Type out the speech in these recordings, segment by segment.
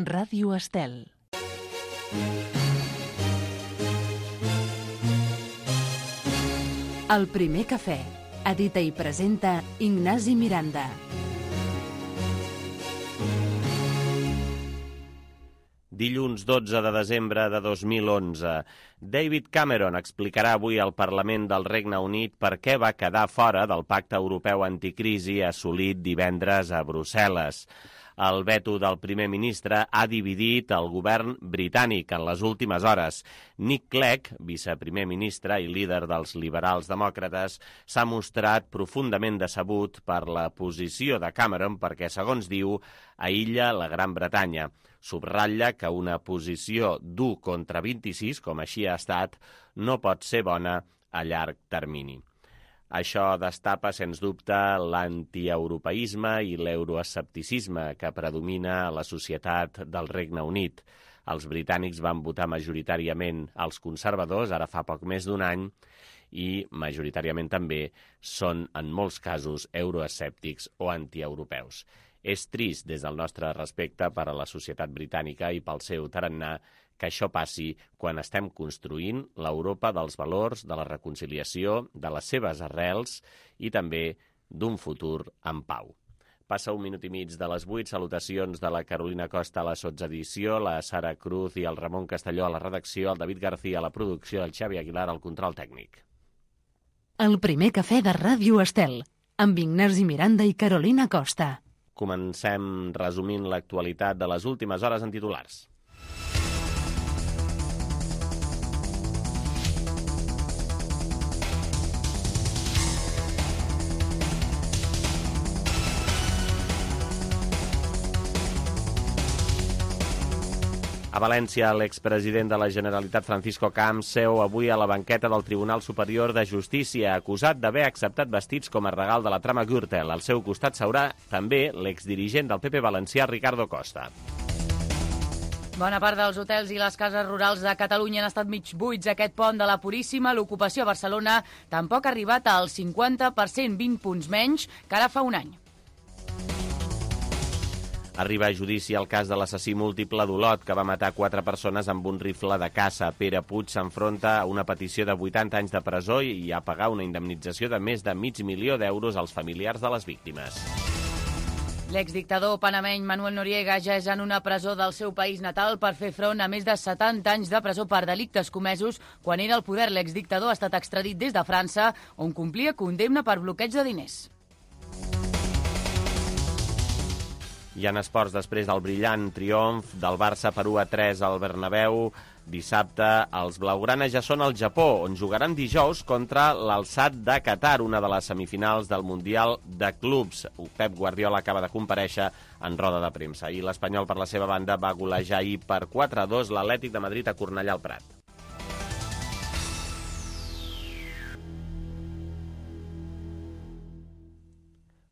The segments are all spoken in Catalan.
Ràdio Estel. El primer cafè. Edita i presenta Ignasi Miranda. Dilluns 12 de desembre de 2011. David Cameron explicarà avui al Parlament del Regne Unit per què va quedar fora del Pacte Europeu Anticrisi assolit divendres a Brussel·les. El veto del primer ministre ha dividit el govern britànic en les últimes hores. Nick Clegg, viceprimer ministre i líder dels liberals demòcrates, s'ha mostrat profundament decebut per la posició de Cameron perquè, segons diu, aïlla la Gran Bretanya. Subratlla que una posició d'1 contra 26, com així ha estat, no pot ser bona a llarg termini. Això destapa, sens dubte, l'antieuropeisme i l'euroescepticisme que predomina a la societat del Regne Unit. Els britànics van votar majoritàriament als conservadors, ara fa poc més d'un any, i majoritàriament també són, en molts casos, euroescèptics o antieuropeus. És trist des del nostre respecte per a la societat britànica i pel seu tarannà que això passi quan estem construint l'Europa dels valors, de la reconciliació, de les seves arrels i també d'un futur en pau. Passa 1 minut i mig de les 8, salutacions de la Carolina Costa a la sotsedició, la Sara Cruz i el Ramon Castelló a la redacció, el David García a la producció, el Xavi Aguilar al control tècnic. El primer cafè de Ràdio Estel, amb Ignasi Miranda i Carolina Costa. Comencem resumint l'actualitat de les últimes hores en titulars. A València, l'expresident de la Generalitat, Francisco Camps, seu avui a la banqueta del Tribunal Superior de Justícia, acusat d'haver acceptat vestits com a regal de la trama Gürtel. Al seu costat seurà també l'exdirigent del PP valencià, Ricardo Costa. Bona part dels hotels i les cases rurals de Catalunya han estat mig buits aquest pont de la Puríssima. L'ocupació a Barcelona tampoc ha arribat al 50%, 20 punts menys que ara fa un any. Arriba a judici el cas de l'assassí múltiple d'Olot, que va matar 4 persones amb un rifle de caça. Pere Puig s'enfronta a una petició de 80 anys de presó i a pagar una indemnització de més de $500.000 als familiars de les víctimes. L'exdictador panameny Manuel Noriega ja és en una presó del seu país natal per fer front a més de 70 anys de presó per delictes comesos. Quan era al poder, l'exdictador ha estat extradit des de França, on complia condemna per bloqueig de diners. I en esports, després del brillant triomf del Barça per 1-3 al Bernabéu, dissabte els blaugranes ja són al Japó, on jugaran dijous contra l'Al-Sadd de Qatar, una de les semifinals del Mundial de Clubs. Pep Guardiola acaba de comparèixer en roda de premsa. I l'Espanyol, per la seva banda, va golejar ahir per 4-2 l'Atlètic de Madrid a Cornellà al Prat.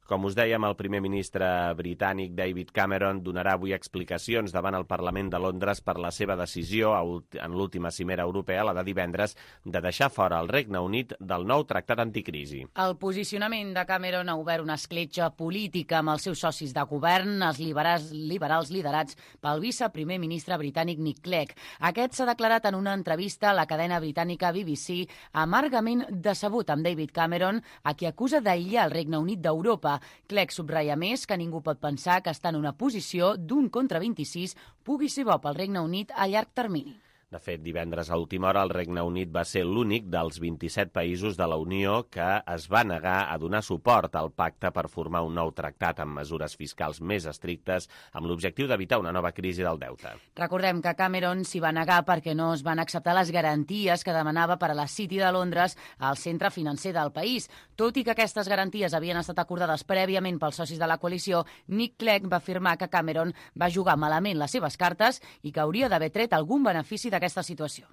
Com us dèiem, el primer ministre britànic David Cameron donarà avui explicacions davant el Parlament de Londres per la seva decisió en l'última cimera europea, la de divendres, de deixar fora el Regne Unit del nou tractat anticrisi. El posicionament de Cameron ha obert una escletxa política amb els seus socis de govern, els liberals liderats pel viceprimer ministre britànic Nick Clegg. Aquest s'ha declarat en una entrevista a la cadena britànica BBC amargament decebut amb David Cameron, a qui acusa d'aïllar el Regne Unit d'Europa. Clegg subratlla més que ningú pot pensar que està en una posició d'1 contra 26 pugui ser bo pel Regne Unit a llarg termini. De fet, divendres a última hora el Regne Unit va ser l'únic dels 27 països de la Unió que es va negar a donar suport al pacte per formar un nou tractat amb mesures fiscals més estrictes amb l'objectiu d'evitar una nova crisi del deute. Recordem que Cameron s'hi va negar perquè no es van acceptar les garanties que demanava per a la City de Londres, al centre financer del país. Tot i que aquestes garanties havien estat acordades prèviament pels socis de la coalició, Nick Clegg va afirmar que Cameron va jugar malament les seves cartes i que hauria d'haver tret algun benefici d'aquesta situació.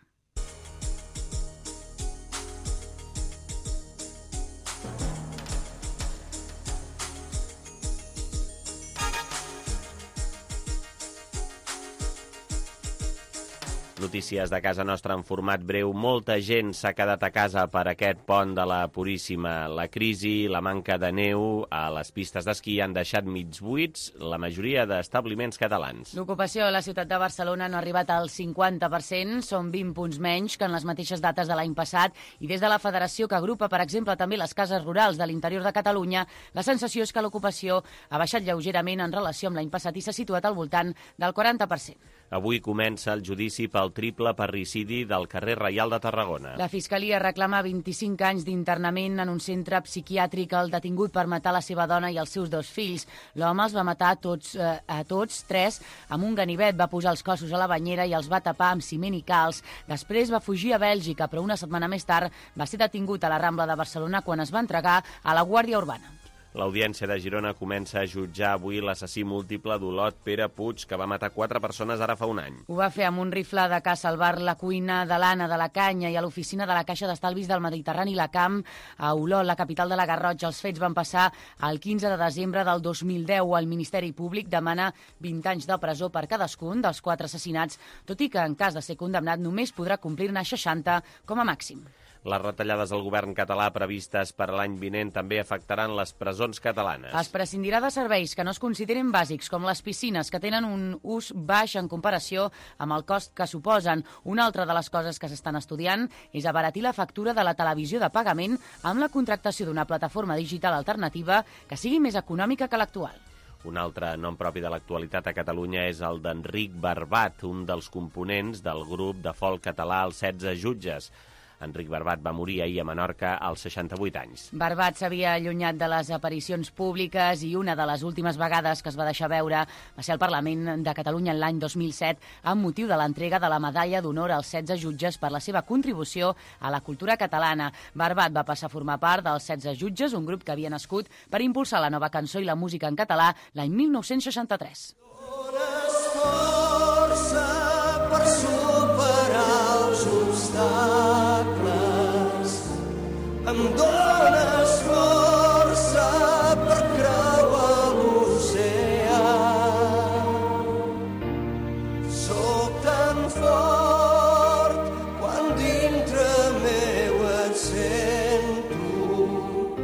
Notícies de casa nostra en format breu. Molta gent s'ha quedat a casa per aquest pont de la Puríssima. La crisi, la manca de neu a les pistes d'esquí han deixat mig buits la majoria d'establiments catalans. L'ocupació a la ciutat de Barcelona no ha arribat al 50%, són 20 punts menys que en les mateixes dates de l'any passat, i des de la federació que agrupa, per exemple, també les cases rurals de l'interior de Catalunya, la sensació és que l'ocupació ha baixat lleugerament en relació amb l'any passat i s'ha situat al voltant del 40%. Avui comença el judici pel triple parricidi del carrer Reial de Tarragona. La Fiscalia reclama 25 anys d'internament en un centre psiquiàtric al detingut per matar la seva dona i els seus 2 fills. L'home els va matar a tots 3 amb un ganivet, va posar els cossos a la banyera i els va tapar amb ciment i calç. Després va fugir a Bèlgica, però una setmana més tard va ser detingut a la Rambla de Barcelona quan es va entregar a la Guàrdia Urbana. L'Audiència de Girona comença a jutjar avui l'assassí múltiple d'Olot, Pere Puig, que va matar 4 persones ara fa un any. Ho va fer amb un rifle de caça al bar La Cuina de l'Anna de la Canya i a l'oficina de la Caixa d'Estalvis del Mediterrani La Camp a Olot, la capital de la Garrotxa. Els fets van passar el 15 de desembre del 2010. El Ministeri Públic demana 20 anys de presó per cadascun dels 4 assassinats, tot i que en cas de ser condemnat només podrà complir-ne 60 com a màxim. Les retallades del govern català previstes per a l'any vinent també afectaran les presons catalanes. Es prescindirà de serveis que no es consideren bàsics, com les piscines, que tenen un ús baix en comparació amb el cost que suposen. Una altra de les coses que s'estan estudiant és abaratir la factura de la televisió de pagament amb la contractació d'una plataforma digital alternativa que sigui més econòmica que l'actual. Un altre nom propi de l'actualitat a Catalunya és el d'Enric Barbat, un dels components del grup de folk català Els 16 Jutges. Enric Barbat va morir ahir a Menorca als 68 anys. Barbat s'havia allunyat de les aparicions públiques i una de les últimes vegades que es va deixar veure va ser al Parlament de Catalunya l'any 2007 amb motiu de l'entrega de la medalla d'honor als 16 jutges per la seva contribució a la cultura catalana. Barbat va passar a formar part dels 16 jutges, un grup que havia nascut per impulsar la nova cançó i la música en català l'any 1963. Dones força per superar els obstacles. Em dones força per creuar l'oceà. Sóc tan fort quan dintre meu et sento.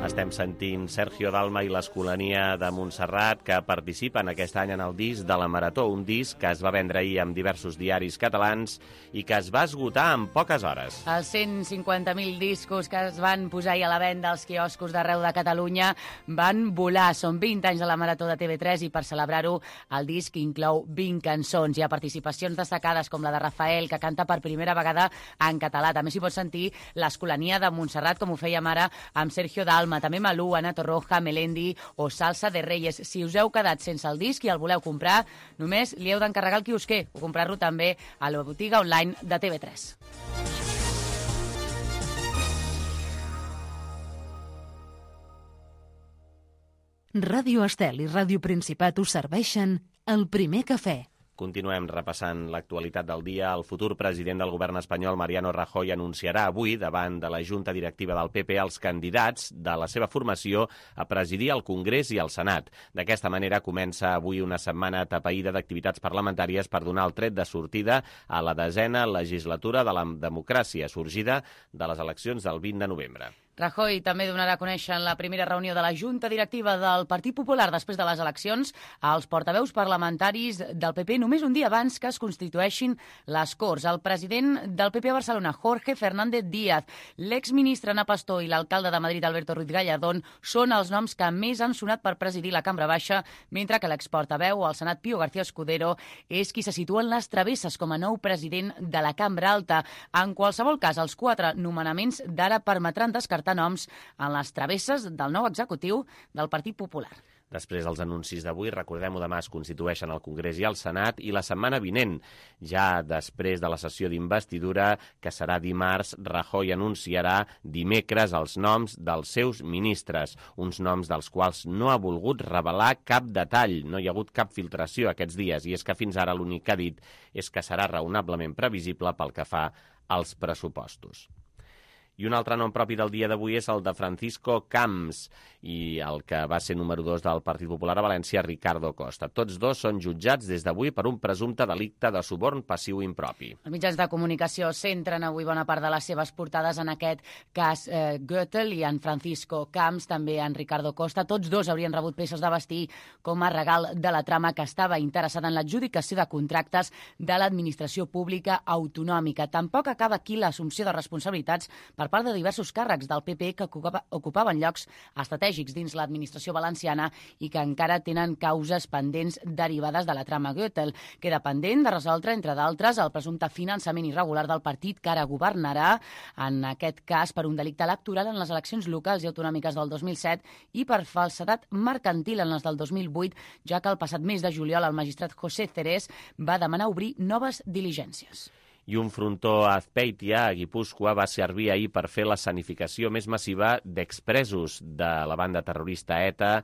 Estem sentint Sergio Dalma i l'Escolania de Montserrat, que participen aquest any en el disc de la Marató, un disc que es va vendre ahir amb diversos diaris catalans i que es va esgotar en poques hores. Els 150.000 discos que es van posar ahir a la venda als quioscos d'arreu de Catalunya van volar. Són 20 anys de la Marató de TV3 i per celebrar-ho el disc inclou 20 cançons. Hi ha participacions destacades com la de Rafael, que canta per primera vegada en català. També s'hi pot sentir l'Escolania de Montserrat, com ho fèiem ara amb Sergio Dalma, també Malú, Ana Torroja, Melendi o Salsa de Reyes. Si us heu quedat sense el disc i el voleu comprar, només li heu d'encarregar el quiosquer o comprar-lo també a la botiga online de TV3. Ràdio Estel i Ràdio Principat us serveixen el primer cafè. Continuem repassant l'actualitat del dia. El futur president del govern espanyol, Mariano Rajoy, anunciarà avui, davant de la Junta Directiva del PP, els candidats de la seva formació a presidir el Congrés i el Senat. D'aquesta manera comença avui una setmana atapeïda d'activitats parlamentàries per donar el tret de sortida a la 10a legislatura de la democràcia, sorgida de les eleccions del 20 de novembre. Rajoy també donarà a conèixer en la primera reunió de la Junta Directiva del Partit Popular després de les eleccions als portaveus parlamentaris del PP només un dia abans que es constitueixin les Corts. El president del PP a Barcelona, Jorge Fernández Díaz, l'exministre Ana Pastor i l'alcalde de Madrid, Alberto Ruiz Gallardón, són els noms que més han sonat per presidir la Cambra Baixa, mentre que l'exportaveu al Senat, Pío García Escudero, és qui se situa en les travesses com a nou president de la Cambra Alta. En qualsevol cas, els 4 nomenaments d'ara permetran descartar noms en les travesses del nou executiu del Partit Popular. Després dels anuncis d'avui, recordem-ho, demà es constitueixen el Congrés i el Senat i la setmana vinent, ja després de la sessió d'investidura, que serà dimarts, Rajoy anunciarà dimecres els noms dels seus ministres, uns noms dels quals no ha volgut revelar cap detall. No hi ha hagut cap filtració aquests dies i és que fins ara l'únic que ha dit és que serà raonablement previsible pel que fa als pressupostos. I un altre nom propi del dia d'avui és el de Francisco Camps i el que va ser número 2 del Partit Popular a València, Ricardo Costa. Tots dos són jutjats des d'avui per un presumpte delicte de suborn passiu impropi. Els mitjans de comunicació centren avui bona part de les seves portades en aquest cas Gürtel i en Francisco Camps, també en Ricardo Costa. Tots dos haurien rebut peces de vestir com a regal de la trama que estava interessada en l'adjudicació de contractes de l'administració pública autonòmica. Tampoc acaba aquí l'assumpció de responsabilitats per part de diversos càrrecs del PP que ocupaven llocs estratègics dins l'administració valenciana i que encara tenen causes pendents derivades de la trama Gürtel. Queda pendent de resoldre, entre d'altres, el presumpte finançament irregular del partit que ara governarà, en aquest cas per un delicte electoral en les eleccions locals i autonòmiques del 2007 i per falsedat mercantil en les del 2008, ja que el passat mes de juliol el magistrat José Cerés va demanar obrir noves diligències. I un frontó a Azpeitia, a Guipúscoa, va servir ahir per fer l'escenificació més massiva d'expresos de la banda terrorista ETA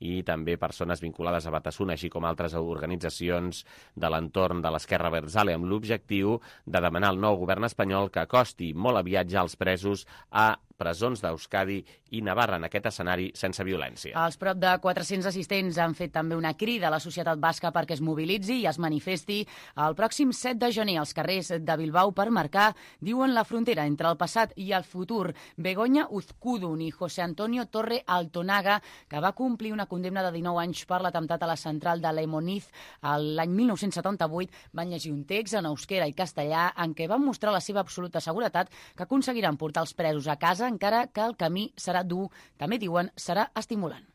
i també persones vinculades a Batasuna, així com altres organitzacions de l'entorn de l'esquerra abertzale, amb l'objectiu de demanar al nou govern espanyol que acosti molt aviat ja els presos a presons d'Euskadi i Navarra en aquest escenari sense violència. Els prop de 400 assistents han fet també una crida a la societat basca perquè es mobilitzi i es manifesti el pròxim 7 de gener als carrers de Bilbao per marcar, diuen, la frontera entre el passat i el futur. Begoña Uzkudun i José Antonio Torre Altonaga, que va complir una condemna de 19 anys per l'atemptat a la central de Leimoniz l'any 1978, van llegir un text en euskera i castellà en què van mostrar la seva absoluta seguretat que aconseguiran portar els presos a casa, encara que el camí serà dur. També diuen serà estimulant.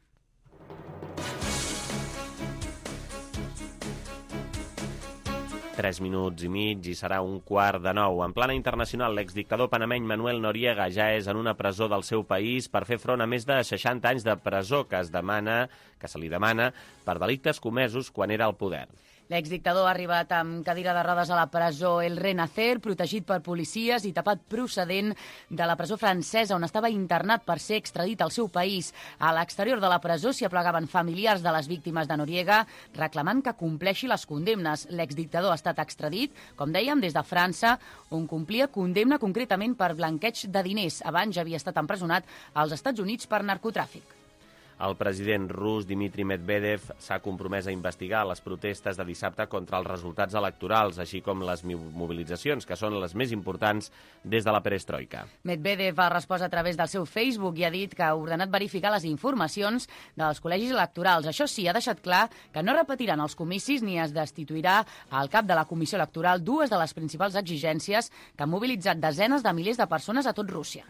Tres minuts i mig i serà 8:45. En plana internacional, l'exdictador panameny Manuel Noriega ja és en una presó del seu país per fer front a més de 60 anys de presó que se li demana per delictes comesos quan era al poder. L'exdictador ha arribat amb cadira de rodes a la presó El Renacer, protegit per policies i tapat procedent de la presó francesa, on estava internat per ser extradit al seu país. A l'exterior de la presó s'hi aplegaven familiars de les víctimes de Noriega, reclamant que compleixi les condemnes. L'exdictador ha estat extradit, com dèiem, des de França, on complia condemna concretament per blanqueig de diners. Abans ja havia estat empresonat als Estats Units per narcotràfic. El president rus Dmitry Medvedev s'ha compromès a investigar les protestes de dissabte contra els resultats electorals, així com les mobilitzacions, que són les més importants des de la perestroika. Medvedev ha respost a través del seu Facebook i ha dit que ha ordenat verificar les informacions dels col·legis electorals. Això sí, ha deixat clar que no repetiran els comicis ni es destituirà al cap de la Comissió Electoral, dues de les principals exigències que han mobilitzat desenes de milers de persones a tot Rússia.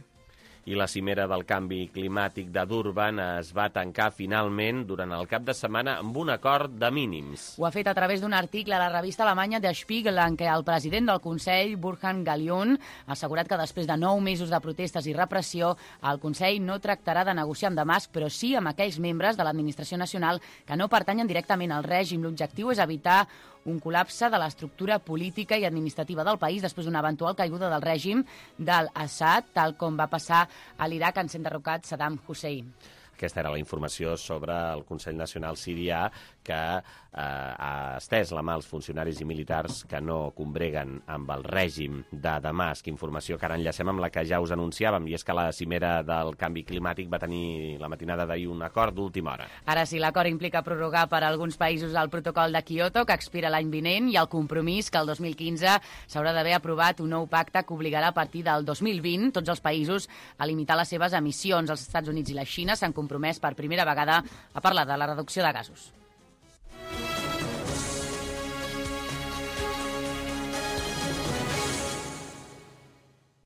I la cimera del canvi climàtic de Durban es va tancar finalment durant el cap de setmana amb un acord de mínims. Ho ha fet a través d'un article a la revista alemanya Der Spiegel, en què el president del Consell, Burkhard Gallion, ha assegurat que després de 9 mesos de protestes i repressió, el Consell no tractarà de negociar amb Damasc, però sí amb aquells membres de l'administració nacional que no pertanyen directament al règim. L'objectiu és evitar un col·lapse de l'estructura política i administrativa del país després d'una eventual caiguda del règim d'Al-Assad, tal com va passar a l'Iraq en ser enderrocat Saddam Hussein. Aquesta era la informació sobre el Consell Nacional Sirià, que ha estès la mà als funcionaris i militars que no combreguen amb el règim de Damasc. Informació que ara enllacem amb la que ja us anunciàvem, i és que la cimera del canvi climàtic va tenir la matinada d'ahir un acord d'última hora. Ara sí, l'acord implica prorrogar per a alguns països el protocol de Kyoto, que expira l'any vinent, i el compromís que el 2015 s'haurà d'haver aprovat un nou pacte que obligarà a partir del 2020 tots els països a limitar les seves emissions. Els Estats Units i la Xina s'han compromès per primera vegada a parlar de la reducció de gasos.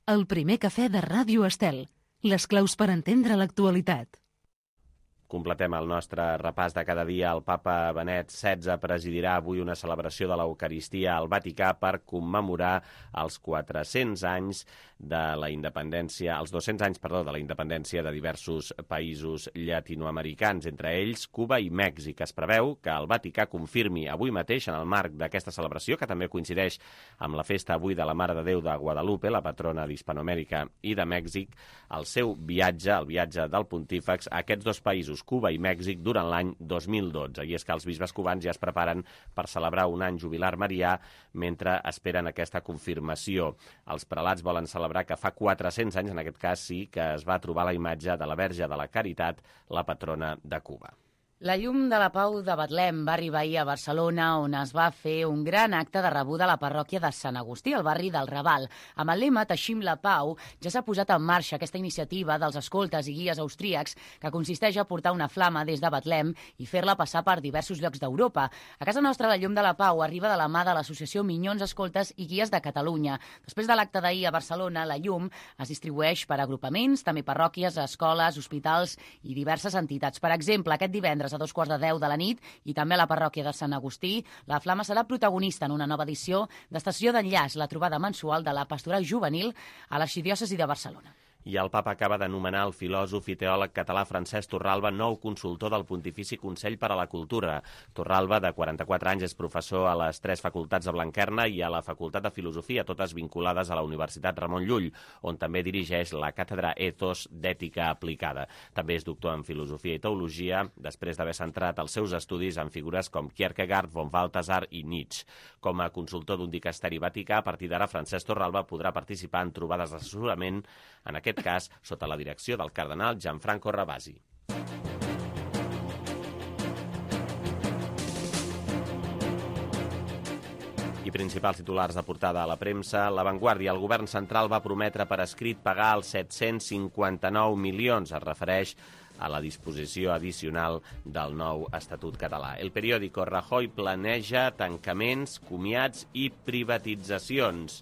El primer cafè de Ràdio Estel. Les claus per entendre l'actualitat. Completem el nostre repàs de cada dia. El papa Benet XVI presidirà avui una celebració de l'Eucaristia al Vaticà per commemorar els 400 anys de la independència, els 200 anys, perdó, de la independència de diversos països llatinoamericans, entre ells Cuba i Mèxic. Es preveu que el Vaticà confirmi avui mateix, en el marc d'aquesta celebració, que també coincideix amb la festa avui de la Mare de Déu de Guadalupe, la patrona d'Hispanoamèrica i de Mèxic, el seu viatge, el viatge del pontífex a aquests dos països, països Cuba i Mèxic durant l'any 2012. I és que els bisbes cubans ja es preparen per celebrar un any jubilar marià mentre esperen aquesta confirmació. Els prelats volen celebrar que fa 400 anys, en aquest cas sí, que es va trobar la imatge de la Verge de la Caritat, la patrona de Cuba. La llum de la Pau de Betlem va arribar ahir a Barcelona, on es va fer un gran acte de rebuda a la parròquia de Sant Agustí, al barri del Raval. Amb el lema Teixim la Pau, ja s'ha posat en marxa aquesta iniciativa dels escoltes i guies austríacs que consisteix a portar una flama des de Betlem i fer-la passar per diversos llocs d'Europa. A casa nostra, la llum de la Pau arriba de la mà de l'associació Minyons Escoltes i Guies de Catalunya. Després de l'acte d'ahir a Barcelona, la llum es distribueix per agrupaments, també parròquies, escoles, hospitals i diverses entitats. Per exemple, aquest divendres a 2:15 de la nit i també a la parròquia de Sant Agustí, la flama serà protagonista en una nova edició d'Estació d'Enllaç, la trobada mensual de la pastoral juvenil a l'arxidiòcesi de Barcelona. I el papa acaba d'anomenar el filòsof i teòleg català Francesc Torralba nou consultor del Pontifici Consell per a la Cultura. Torralba, de 44 anys, és professor a les 3 facultats de Blanquerna i a la Facultat de Filosofia, totes vinculades a la Universitat Ramon Llull, on també dirigeix la càtedra Ethos d'Ètica Aplicada. També és doctor en Filosofia i Teologia, després d'haver centrat els seus estudis en figures com Kierkegaard, von Balthasar i Nietzsche. Com a consultor d'un dicasteri vaticà, a partir d'ara, Francesc Torralba podrà participar en trobades d'assessorament, en aquest cas sota la direcció del cardenal Gianfranco Ravasi. I principals titulars de portada a la premsa. La Vanguardia. El govern central va prometre per escrit pagar els 759 milions. Es refereix a la disposició addicional del nou Estatut català. El periòdico. Rajoy planeja tancaments, comiats i privatitzacions.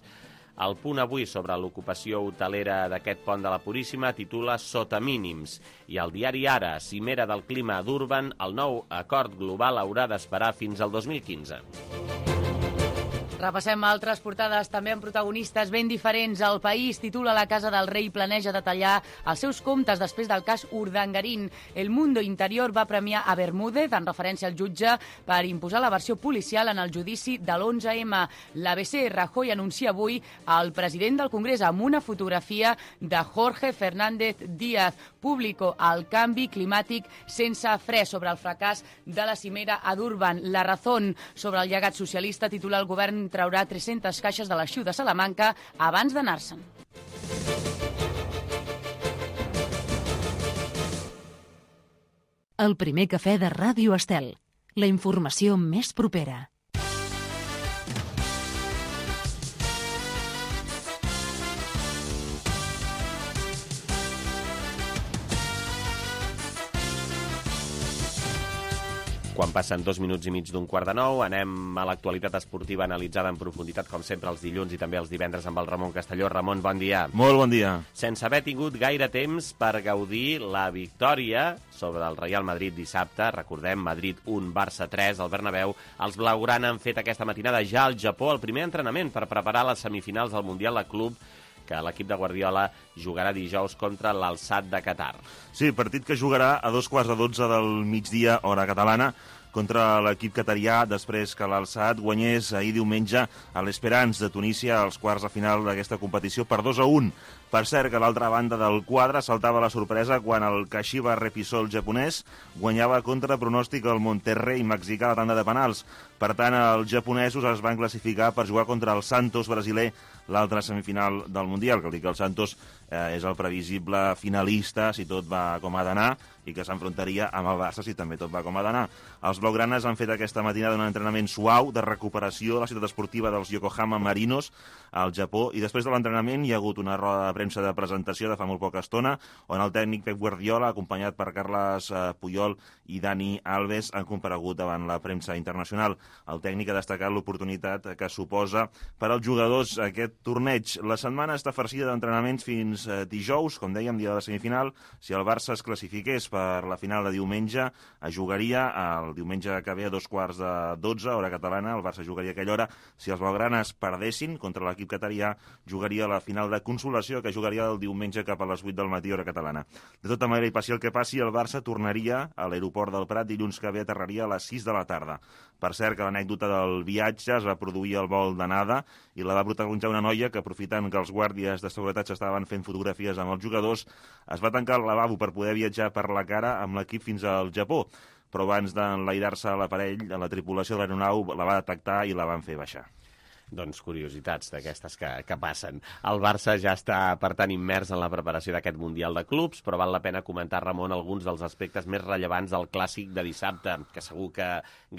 El Punt avui sobre l'ocupació hotelera d'aquest pont de la Puríssima titula Sota mínims. I el diari Ara, cimera del clima a Durban, el nou acord global haurà d'esperar fins al 2015. Repassem altres portades també amb protagonistes ben diferents. El País titula La Casa del Rei planeja detallar els seus comptes després del cas Urdangarín. El Mundo Interior va premiar a Bermúdez, en referència al jutge, per imposar la versió policial en el judici de l'11M. L'ABC. Rajoy anuncia avui al president del Congrés amb una fotografia de Jorge Fernández Díaz. Público. El canvi climàtic sense fre. Sobre el fracàs de la cimera a Durban. La Razón. Sobre el llegat socialista titula el govern traurà 300 caixes de l'arxiu de Salamanca abans d'anar-se'n. El primer cafè de Ràdio Estel. La informació més propera. Quan passen 2 minuts i mig d'8:45, anem a l'actualitat esportiva analitzada en profunditat, com sempre, els dilluns i també els divendres amb el Ramon Castelló. Ramon, bon dia. Molt bon dia. Sense haver tingut gaire temps per gaudir la victòria sobre el Real Madrid dissabte, recordem, Madrid 1, Barça 3, al Bernabéu, els blaugrana han fet aquesta matinada ja al Japó el primer entrenament per preparar les semifinals del Mundial de Club, que l'equip de Guardiola jugarà dijous contra l'Al-Sadd de Qatar. Sí, partit que jugarà a 2:15 del migdia, hora catalana, contra l'equip qatarià, després que l'Al-Sadd guanyés ahir diumenge a l'Esperance de Tunísia als quarts de final d'aquesta competició per 2-1. Per cert, que a l'altra banda del quadre saltava la sorpresa quan el Kashiwa Reysol japonès guanyava contra pronòstic el Monterrey mexicà a la tanda de penals. Per tant, els japonesos es van classificar per jugar contra el Santos brasiler, l'altra semifinal del Mundial, que vol dir que el Santos és el previsible finalista si tot va com ha d'anar i que s'enfrontaria amb el Barça si també tot va com ha d'anar. Els blaugranes han fet aquesta matinada un entrenament suau de recuperació a la ciutat esportiva dels Yokohama Marinos al Japó, i després de l'entrenament hi ha hagut una roda de premsa de presentació de fa molt poca estona on el tècnic Pep Guardiola, acompanyat per Carles Puyol i Dani Alves, han comparegut davant la premsa internacional. El tècnic ha destacat l'oportunitat que suposa per als jugadors aquest torneig. La setmana està farcida d'entrenaments fins dijous, com dèiem, dia de la semifinal. Si el Barça es classifiqués per la final de diumenge, jugaria el diumenge que ve a 2:15, hora catalana. El Barça jugaria a aquella hora. Si els blaugranes perdessin contra l'equip qatarià, jugaria la final de consolació, que jugaria el diumenge cap a les 8 del matí, hora catalana. De tota manera, i passi el que passi, el Barça tornaria a l'aeroport del Prat dilluns que ve, aterraria a les 6 de la tarda. Per cert, que l'anècdota del viatge es va produir al vol d'anada i la va protagonitzar una noia que, aprofitant que els guàrdies de seguretat estaven fent fotografies amb els jugadors, es va tancar al lavabo per poder viatjar per la cara amb l'equip fins al Japó. Però abans d'enlairar-se a l'aparell, la tripulació de l'aeronau la va detectar i la van fer baixar. Doncs curiositats d'aquestes que passen. El Barça ja està, per tant, immers en la preparació d'aquest Mundial de Clubs, però val la pena comentar, Ramon, alguns dels aspectes més rellevants del clàssic de dissabte, que segur que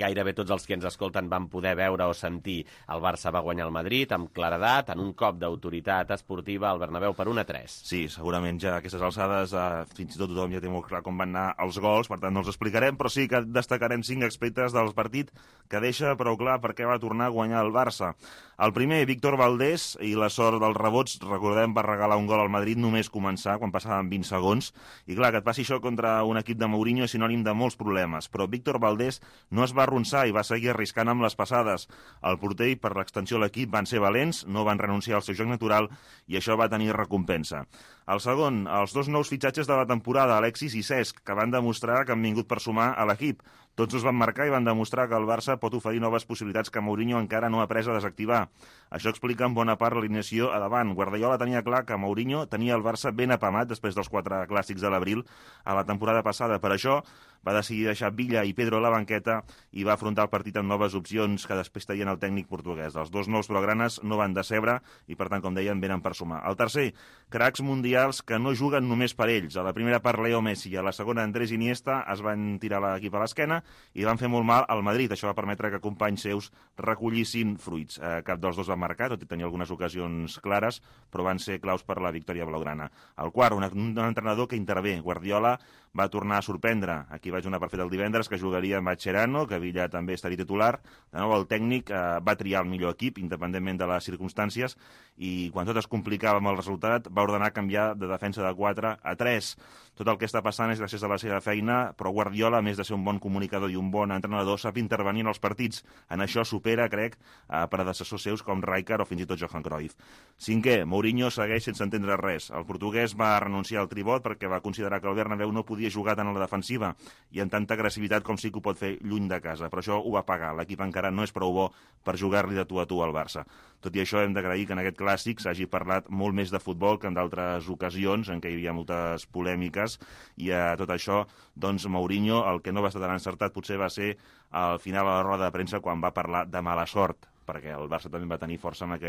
gairebé tots els que ens escolten van poder veure o sentir. El Barça va guanyar el Madrid amb claredat, en un cop d'autoritat esportiva al Bernabéu per 1-3. Sí, segurament ja a aquestes alçades fins i tot tothom ja té molt clar com van anar els gols, per tant no els explicarem, però sí que destacarem 5 aspectes del partit que deixa prou clar per què va tornar a guanyar el Barça. El primer, Víctor Valdés, i la sort dels rebots, recordem, va regalar un gol al Madrid només començar, quan passaven 20 segons. I clar, que et passi això contra un equip de Mourinho és sinònim de molts problemes, però Víctor Valdés no es va arronsar i va seguir arriscant amb les passades. El porter i per l'extensió de l'equip van ser valents, no van renunciar al seu joc natural i això va tenir recompensa. El segon, els 2 nous fitxatges de la temporada, Alexis i Cesc, que van demostrar que han vingut per sumar a l'equip. Tots els van marcar i van demostrar que el Barça pot oferir noves possibilitats que Mourinho encara no ha pres a desactivar. Això explica en bona part l'alineació a davant. Guardiola tenia clar que Mourinho tenia el Barça ben apamat després dels 4 clàssics de l'abril a la temporada passada. Per això va decidir deixar Villa i Pedro a la banqueta i va afrontar el partit amb noves opcions que després tenien el tècnic portuguès. Els 2 nous blaugranes no van decebre i, per tant, com deien, venen per sumar. El tercer, cracs mundials que no juguen només per ells. A la primera part, Leo Messi, i a la segona, Andrés Iniesta, es van tirar l'equip a l'esquena i van fer molt mal al Madrid. Això va permetre que companys seus recollissin fruits. Cap dels 2 va marcar, tot i tenir algunes ocasions clares, però van ser claus per la victòria blaugrana. El quart, un entrenador que intervé. Guardiola va tornar a sorprendre. Aquí vaig donar per fet el divendres que jugaria amb Mascherano, que Villa també estaria titular. De nou, el tècnic va triar el millor equip, independentment de les circumstàncies, i quan tot es complicava amb el resultat, va ordenar canviar de defensa de 4 a 3. Tot el que està passant és gràcies a la seva feina, però Guardiola, a més de ser un bon comunicador i un bon entrenador, sap intervenir en els partits. En això supera, crec, predecessors seus com Rijkaard o fins i tot Johan Cruyff. Cinquè, Mourinho segueix sense entendre res. El portuguès va renunciar al tribot perquè va considerar que el Bernabéu no podia jugar tant a la defensiva i amb tanta agressivitat com sí que ho pot fer lluny de casa. Però això ho va pagar. L'equip encara no és prou bo per jugar-li de tu a tu al Barça. Tot i això, hem d'agrair que en aquest clàssic s'hagi parlat molt més de futbol que en d'altres ocasions en què hi havia moltes polèmiques, i a tot això, doncs, Mourinho, el que no va estar tan encertat potser va ser al final a la roda de premsa quan va parlar de mala sort, perquè el Barça també va tenir força amb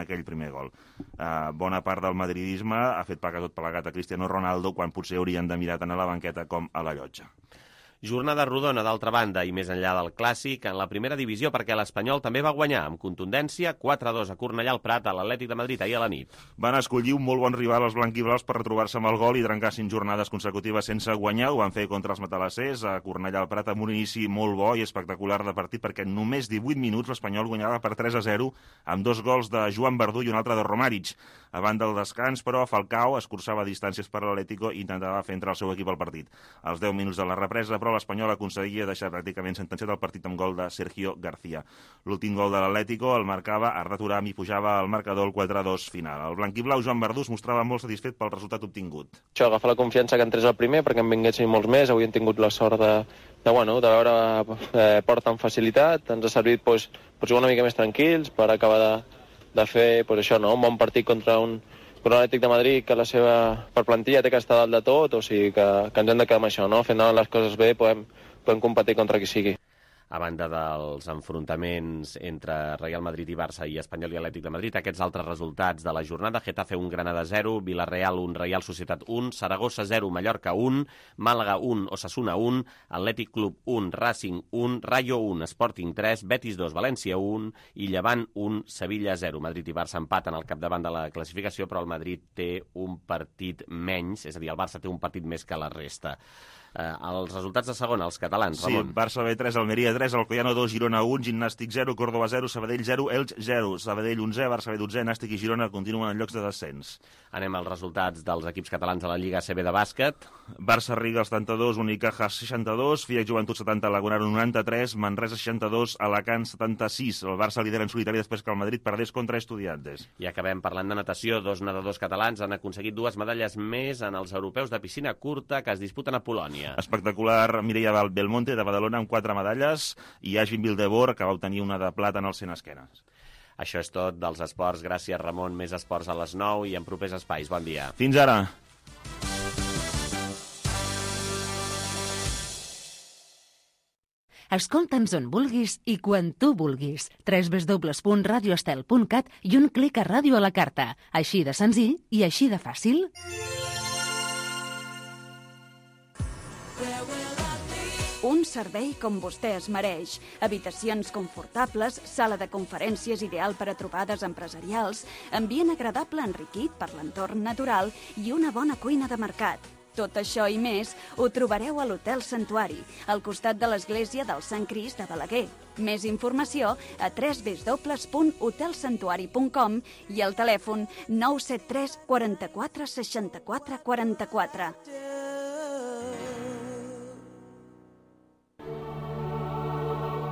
aquell primer gol. Bona part del madridisme ha fet pagar tot plegat a Cristiano Ronaldo quan potser haurien de mirar tant a la banqueta com a la llotja. Jornada rodona, d'altra banda, i més enllà del clàssic, en la primera divisió, perquè l'Espanyol també va guanyar amb contundència 4-2 a Cornellà al Prat a l'Atlètic de Madrid ahir a la nit. Van escollir un molt bon rival als blanquiblaus per retrobar-se amb el gol i trencar 5 jornades consecutives sense guanyar. Ho van fer contra els matalassers a Cornellà al Prat amb un inici molt bo i espectacular de partit, perquè en només 18 minuts l'Espanyol guanyava per 3-0 amb 2 gols de Joan Verdú i un altre de Romaric. A banda del descans, però, Falcao escurçava distàncies per l'Atlético i intentava fer entrar el seu equip al partit. Als 10 minuts de la represa, però, l'Espanyol aconseguia deixar pràcticament sentenciat el partit amb gol de Sergio García. L'últim gol de l'Atlético el marcava Arda Turam i pujava al marcador el 4-2 final. El blanquiblau Joan Verdú es mostrava molt satisfet pel resultat obtingut. Això, agafar la confiança que entrés al primer perquè en vinguessin molts més. Avui hem tingut la sort de veure porta amb facilitat. Ens ha servit per jugar una mica més tranquils, per acabar de fer un bon partit contra un Atlètic de Madrid que per plantilla té que estar dalt de tot, o sigui que ens hem de quedar amb això, no? Fent les coses bé podem competir contra qui sigui. A banda dels enfrontaments entre Real Madrid i Barça i Espanyol i Atlètic de Madrid, aquests altres resultats de la jornada: Getafe 1, Granada 0, Villarreal 1, Real Societat 1, Saragossa 0, Mallorca 1, Màlaga 1, Osasuna 1, Atlètic Club 1, Racing 1, Rayo 1, Sporting 3, Betis 2, València 1 i Llevant 1, Sevilla 0. Madrid i Barça empaten al capdavant de la classificació, però el Madrid té un partit menys, és a dir, el Barça té un partit més que la resta. Els resultats de segona, els catalans, Ramon. Sí, Barça B3, Almeria 3, Alcoyano 2, Girona 1, Gimnàstic 0, Córdoba 0, Sabadell 0, Elx 0, Sabadell 11, Barça B 12, Nàstic i Girona continuen en llocs de descens. Anem als resultats dels equips catalans a la Lliga ACB de bàsquet. Barça Riga 72, Unicaja 62, FIAC Joventut 70, Lagunaro 93, Manresa 62, Alacant 76. El Barça lidera en solitari després que el Madrid perdés contra Estudiantes. I acabem parlant de natació. 2 nedadors catalans han aconseguit 2 medalles més en els europeus de piscina curta que es disputen a Polònia. Catalunya. Espectacular Mireia Belmonte, de Badalona, amb 4 medalles, i Agin Vildebor, que va obtenir una de plata en el 100 esquenes. Això és tot dels esports. Gràcies, Ramon. Més esports a les 9 i en propers espais. Bon dia. Fins ara. Escolta'ns on vulguis i quan tu vulguis. www.radioestel.cat i un clic a Ràdio a la carta. Així de senzill i així de fàcil. Un servei com vostè es mereix. Habitacions confortables, sala de conferències ideal per a trobades empresarials, ambient agradable enriquit per l'entorn natural i una bona cuina de mercat. Tot això i més ho trobareu a l'Hotel Santuari, al costat de l'església del Sant Crist de Balaguer. Més informació a www.hotelsantuari.com i al telèfon 973 44 64 44.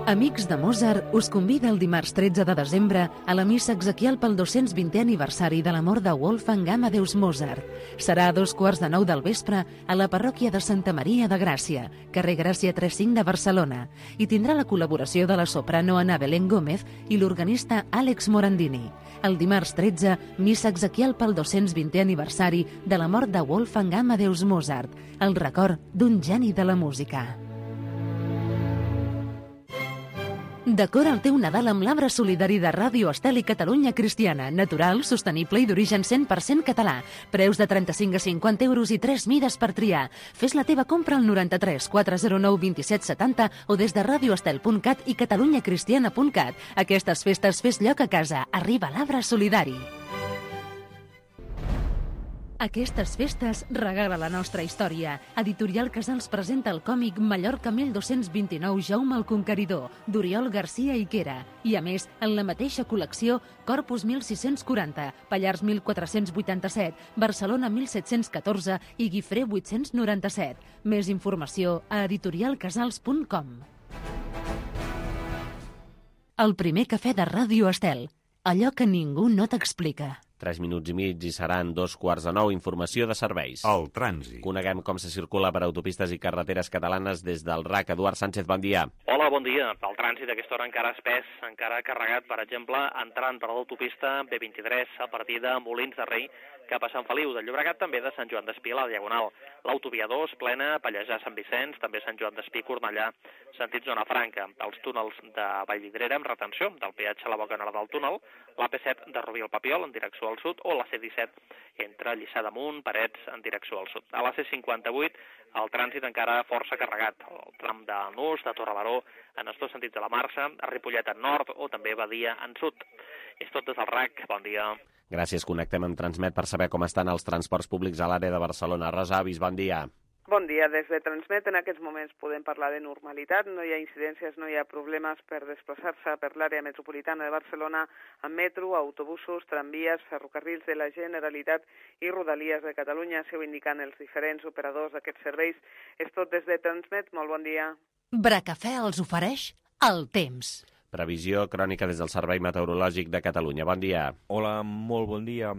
Amics de Mozart us convida el dimarts 13 de desembre a la missa exequial pel 220è aniversari de la mort de Wolfgang Amadeus Mozart. Serà a 8:45 del vespre a la parròquia de Santa Maria de Gràcia, carrer Gràcia 35 de Barcelona, i tindrà la col·laboració de la soprano Ana Belén Gómez i l'organista Àlex Morandini. El dimarts 13, missa exequial pel 220è aniversari de la mort de Wolfgang Amadeus Mozart, el record d'un geni de la música. Decora el teu Nadal amb l'arbre solidari de Ràdio Estel i Catalunya Cristiana, natural, sostenible i d'origen 100% català. Preus de 35 a 50 euros i 3 mides per triar. Fes la teva compra al 93 409 27 70 o des de radioestel.cat i catalunyacristiana.cat. Aquestes festes fes lloc a casa. Arriba l'arbre solidari. Aquestes festes regala la nostra història. Editorial Casals presenta el còmic Mallorca 1229 Jaume el Conqueridor, d'Oriol Garcia i Quera. I a més, en la mateixa col·lecció, Corpus 1640, Pallars 1487, Barcelona 1714 i Guifré 897. Més informació a editorialcasals.com. El primer cafè de Ràdio Estel. Allò que ningú no t'explica. 3 minuts i mig i seran 8:45. Informació de serveis. El trànsit. Coneguem com se circula per autopistes i carreteres catalanes des del RAC. Eduard Sánchez, bon dia. Hola, bon dia. El trànsit a aquesta hora encara espès, encara carregat, per exemple, entrant per l'autopista B23 a partir de Molins de Rei cap a Sant Feliu de Llobregat, també de Sant Joan d'Espí a la Diagonal. L'autovia 2 plena, Pallejà, Sant Vicenç, també Sant Joan d'Espí, Cornellà, sentit Zona Franca. Els túnels de Vallvidrera amb retenció del peatge a la boca nord del túnel, l'AP7 de Rubí al Papiol en direcció al sud o la C17 entre Lliçà d'Amunt, Parets en direcció al sud. A la C58 el trànsit encara força carregat. El tram de Nus, de Torrebaró, en els dos sentits de la marxa, a Ripollet en nord o també Badia en sud. És tot des del RAC. Bon dia. Gràcies. Connectem amb Transmet per saber com estan els transports públics a l'àrea de Barcelona. Rosa Avis, bon dia. Bon dia. Des de Transmet en aquests moments podem parlar de normalitat. No hi ha incidències, no hi ha problemes per desplaçar-se per l'àrea metropolitana de Barcelona amb metro, autobusos, tramvies, ferrocarrils de la Generalitat i Rodalies de Catalunya. S'ho indiquen els diferents operadors d'aquests serveis. És tot des de Transmet. Molt bon dia. Bracafè els ofereix el temps. Previsió crònica des del Servei Meteorològic de Catalunya. Bon dia. Hola, molt bon dia.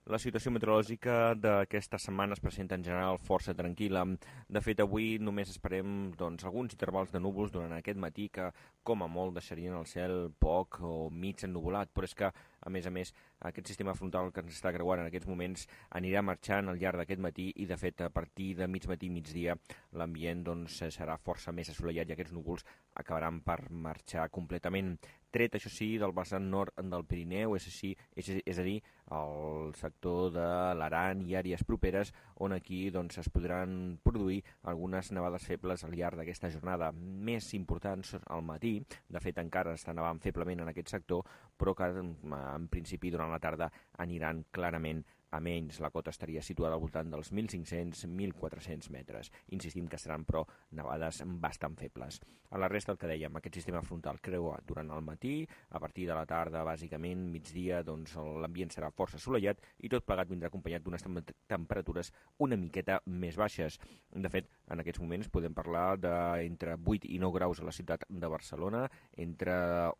La situació meteorològica d'aquesta setmana es presenta en general força tranquil·la. De fet, avui només esperem alguns intervals de núvols durant aquest matí que, com a molt, deixarien el cel poc o mig ennuvolat, però és que, a més, aquest sistema frontal que ens està creuant en aquests moments anirà marxant al llarg d'aquest matí i, de fet, a partir de mig matí i migdia, l'ambient serà força més assolellat i aquests núvols acabaran per marxar completament. Tret, això sí, del vessant nord del Pirineu, és a dir, el sector de l'Aran i àrees properes, on aquí es podran produir algunes nevades febles al llarg d'aquesta jornada. Més importants al matí, de fet encara està nevant feblement en aquest sector, però que en principi durant la tarda aniran clarament a menys. La cota estaria situada al voltant dels 1.500-1.400 metres. Insistim que seran, però, nevades bastant febles. A la resta, el que dèiem, aquest sistema frontal creua durant el matí, a partir de la tarda, bàsicament, migdia, l'ambient serà força assolellat i tot plegat vindrà acompanyat d'unes temperatures una miqueta més baixes. De fet, en aquests moments podem parlar d'entre 8 i 9 graus a la ciutat de Barcelona, entre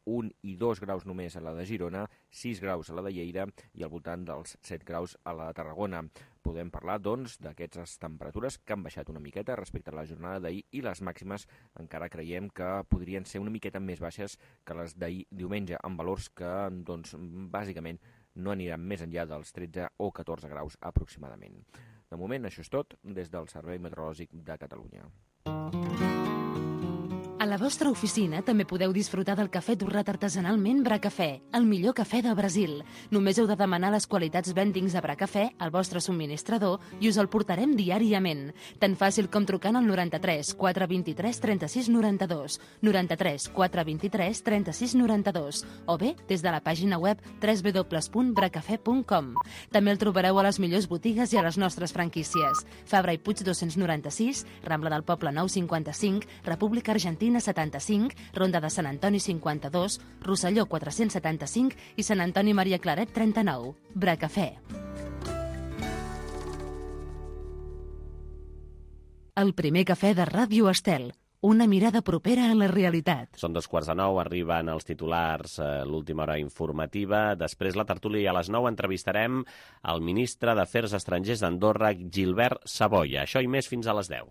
1 i 2 graus només a la de Girona, 6 graus a la de Lleida i al voltant dels 7 graus a la Tarragona. Podem parlar, doncs, d'aquestes temperatures que han baixat una miqueta respecte a la jornada d'ahir i les màximes encara creiem que podrien ser una miqueta més baixes que les d'ahir diumenge, amb valors que, doncs, bàsicament no aniran més enllà dels 13 o 14 graus aproximadament. De moment, això és tot des del Servei Meteorològic de Catalunya. A la vostra oficina també podeu disfrutar del cafè torrat artesanalment Bracafè, el millor cafè del Brasil. Només heu de demanar les qualitats vendings de Bracafè al vostre subministrador i us el portarem diàriament. Tan fàcil com trucant al 93 423 36 92, 93 423 36 92, o bé des de la pàgina web www.bracafè.com. També el trobareu a les millors botigues i a les nostres franquícies. Fabra i Puig 296, Rambla del Poble 955, República Argentina 75, Ronda de Sant Antoni 52, Rosselló 475 i Sant Antoni Maria Claret 39. Bracafè. El primer cafè de Ràdio Estel. Una mirada propera a la realitat. Són 8:45, arriben els titulars, l'última hora informativa. Després la tertúlia i a les 9 entrevistarem el ministre d'Afers Estrangers d'Andorra, Gilbert Savoia. Això i més fins a les 10.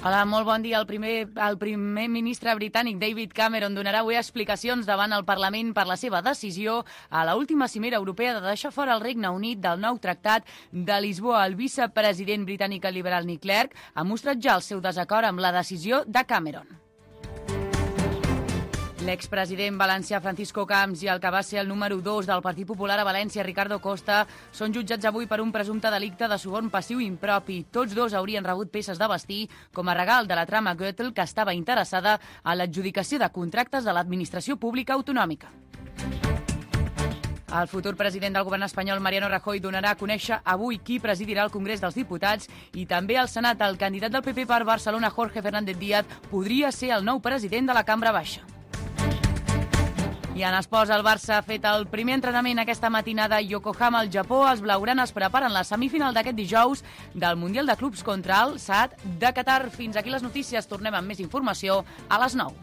Hola, molt bon dia. El primer ministre britànic David Cameron donarà avui explicacions davant el Parlament per la seva decisió a l'última cimera europea de deixar fora el Regne Unit del nou tractat de Lisboa. El vicepresident britànic liberal Nick Clegg ha mostrat ja el seu desacord amb la decisió de Cameron. L'expresident valencià Francisco Camps i el que va ser el número 2 del Partit Popular a València, Ricardo Costa, són jutjats avui per un presumpte delicte de suborn passiu impropi. Tots dos haurien rebut peces de vestir com a regal de la trama Goethel, que estava interessada en l'adjudicació de contractes de l'administració pública autonòmica. El futur president del govern espanyol, Mariano Rajoy, donarà a conèixer avui qui presidirà el Congrés dels Diputats i també al Senat. El candidat del PP per Barcelona, Jorge Fernández Díaz, podria ser el nou president de la Cambra Baixa. I en esports, el Barça ha fet el primer entrenament aquesta matinada a Yokohama, al Japó. Els blaugranes preparen la semifinal d'aquest dijous del Mundial de Clubs contra el Saad de Qatar. Fins aquí les notícies. Tornem amb més informació a les 9.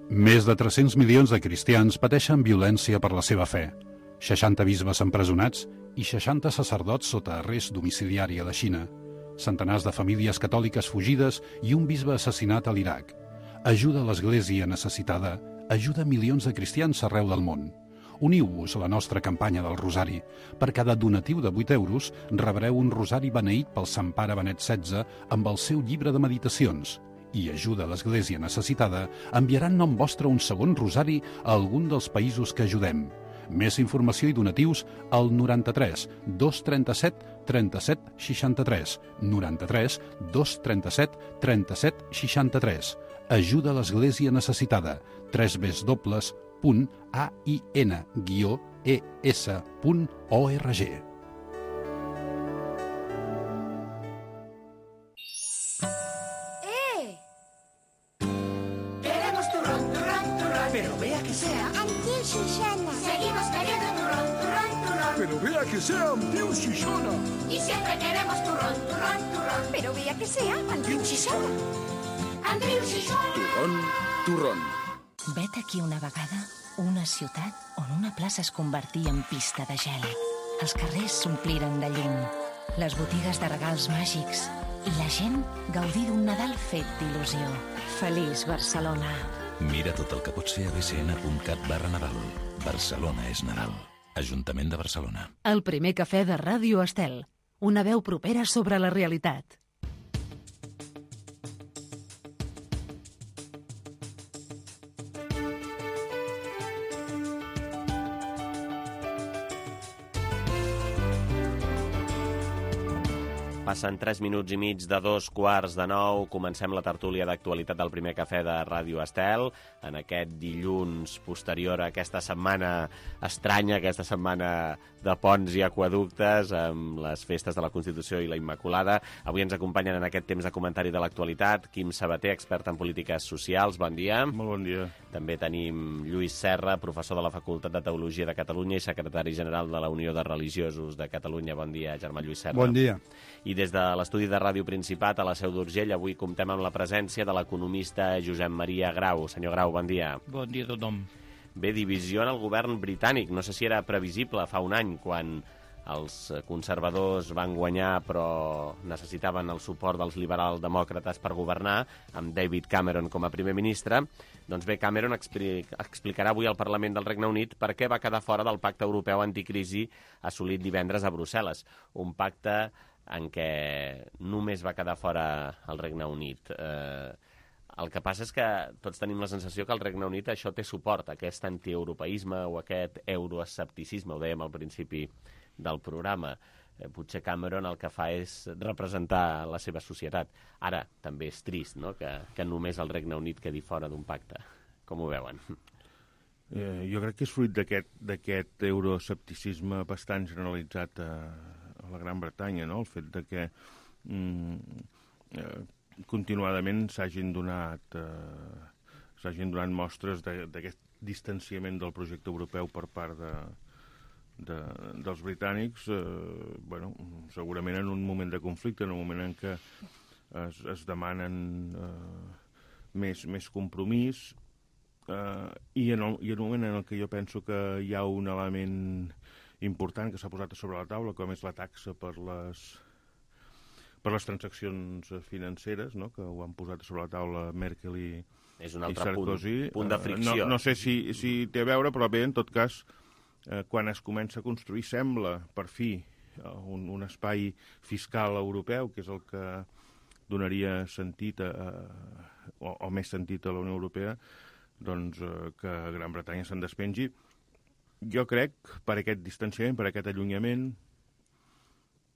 Més de 300 milions de cristians pateixen violència per la seva fe. 60 bisbes empresonats i 60 sacerdots sota arrest domiciliari a la Xina, centenars de famílies catòliques fugides i un bisbe assassinat a l'Iraq. Ajuda a l'Església necessitada, ajuda milions de cristians arreu del món. Uniu-vos a la nostra campanya del Rosari. Per cada donatiu de 8 euros rebreu un rosari beneït pel Sant Pare Benet XVI amb el seu llibre de meditacions. I ajuda a l'Església necessitada enviarà en nom vostre un segon rosari a algun dels països que ajudem. Més informació i donatius al 93 237 37 63. 93 237 37 63. Ajuda a l'Església necessitada. www.ain-es.org. Pero vea que sea Antiu Xixona. Y siempre queremos turrón, turrón, turrón. Pero vea que sea Antiu Xixona. Antiu Xixona. Turrón, turrón. Vet aquí una vegada una ciutat on una plaça es convertia en pista de gel. Els carrers s'ompliren de llum, les botigues de regals màgics i la gent gaudir d'un Nadal fet d'il·lusió. Feliç Barcelona. Mira tot el que pots fer a bcn.cat/Nadal. Barcelona és Nadal. Ajuntament de Barcelona. El primer cafè de Ràdio Estel. Una veu propera sobre la realitat. Passen 3 minuts i mig de 8:45. Comencem la tertúlia d'actualitat del primer cafè de Ràdio Estel. En aquest dilluns posterior a aquesta setmana estranya, aquesta setmana de ponts i aqueductes, amb les festes de la Constitució i la Immaculada. Avui ens acompanyen en aquest temps de comentari de l'actualitat Quim Sabater, expert en polítiques socials. Bon dia. Molt bon dia. També tenim Lluís Serra, professor de la Facultat de Teologia de Catalunya i secretari general de la Unió de Religiosos de Catalunya. Bon dia, Germà Lluís Serra. Bon dia. I des de l'estudi de Ràdio Principat a la Seu d'Urgell avui comptem amb la presència de l'economista Josep Maria Grau. Senyor Grau, bon dia. Bon dia a tothom. Bé, divisió en el govern britànic. No sé si era previsible fa un any, quan els conservadors van guanyar però necessitaven el suport dels liberals demòcrates per governar, amb David Cameron com a primer ministre. Doncs bé, Cameron explicarà avui al Parlament del Regne Unit per què va quedar fora del pacte europeu anticrisi assolit divendres a Brussel·les. Un pacte en què només va quedar fora el Regne Unit. El que passa és que tots tenim la sensació que al Regne Unit això té suport, aquest antieuropeisme o aquest euroescepticisme, ho dèiem al principi del programa. Potser Cameron el que fa és representar la seva societat. Ara, també és trist, no?, que només el Regne Unit quedi fora d'un pacte. Com ho veuen? Jo crec que és fruit d'aquest euroescepticisme bastant generalitzat a la Gran Bretanya, no?, el fet de que continuadament s'hagin donat mostres d'aquest distanciament del projecte europeu per part dels britànics, segurament en un moment de conflicte, en un moment en què es demanen més compromís, i en un moment en què jo penso que hi ha un element important que s'ha posat sobre la taula, com és la taxa per les transaccions financeres, no?, que ho han posat sobre la taula Merkel i és un altre Sarkozy. Punt de fricció. No sé si té a veure, però bé, en tot cas, quan es comença a construir, sembla, per fi, un espai fiscal europeu, que és el que donaria sentit o més sentit a la Unió Europea, doncs que Gran Bretanya se'n despengi. Jo crec, per aquest distanciament, per aquest allunyament,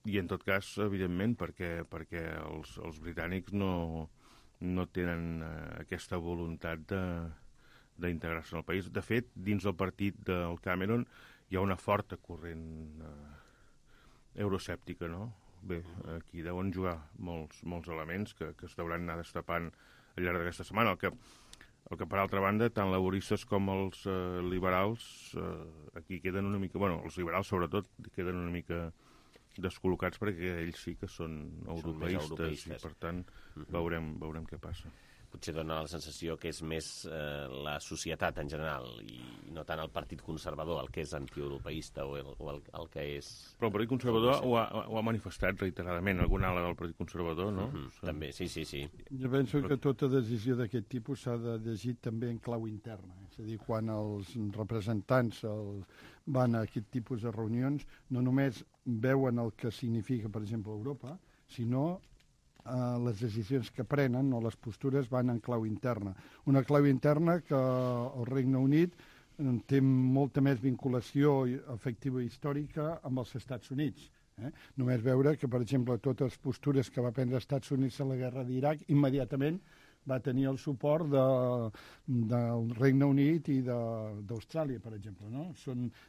i en tot cas, evidentment, perquè els britànics no tenen aquesta voluntat d'integrar-se en el país. De fet, dins del partit del Cameron hi ha una forta corrent euroescèptica, no? Bé, aquí deuen jugar molts elements que es deuran anar destapant al llarg d'aquesta setmana. El que per altra banda, tant laboristes com els liberals aquí queden una mica... Bueno, els liberals sobretot queden una mica descol·locats perquè ells sí que són europeistes i per tant veurem què passa. Potser dona la sensació que és més la societat en general i no tant el Partit Conservador el que és antieuropeista o el que és... Però el Partit Conservador ho ha manifestat reiteradament, alguna ala del Partit Conservador, no? També, sí. Jo penso que tota decisió d'aquest tipus s'ha de llegir també en clau interna. És a dir, quan els representants van a aquest tipus de reunions, no només veuen el que significa, per exemple, Europa, sinó les decisions que prenen o les postures van en clau interna. Una clau interna que el Regne Unit té molta més vinculació afectiva i històrica amb els Estats Units. Només veure que, per exemple, totes les postures que va prendre els Estats Units a la guerra d'Iraq immediatament va tenir el suport del Regne Unit i d'Austràlia, per exemple. No?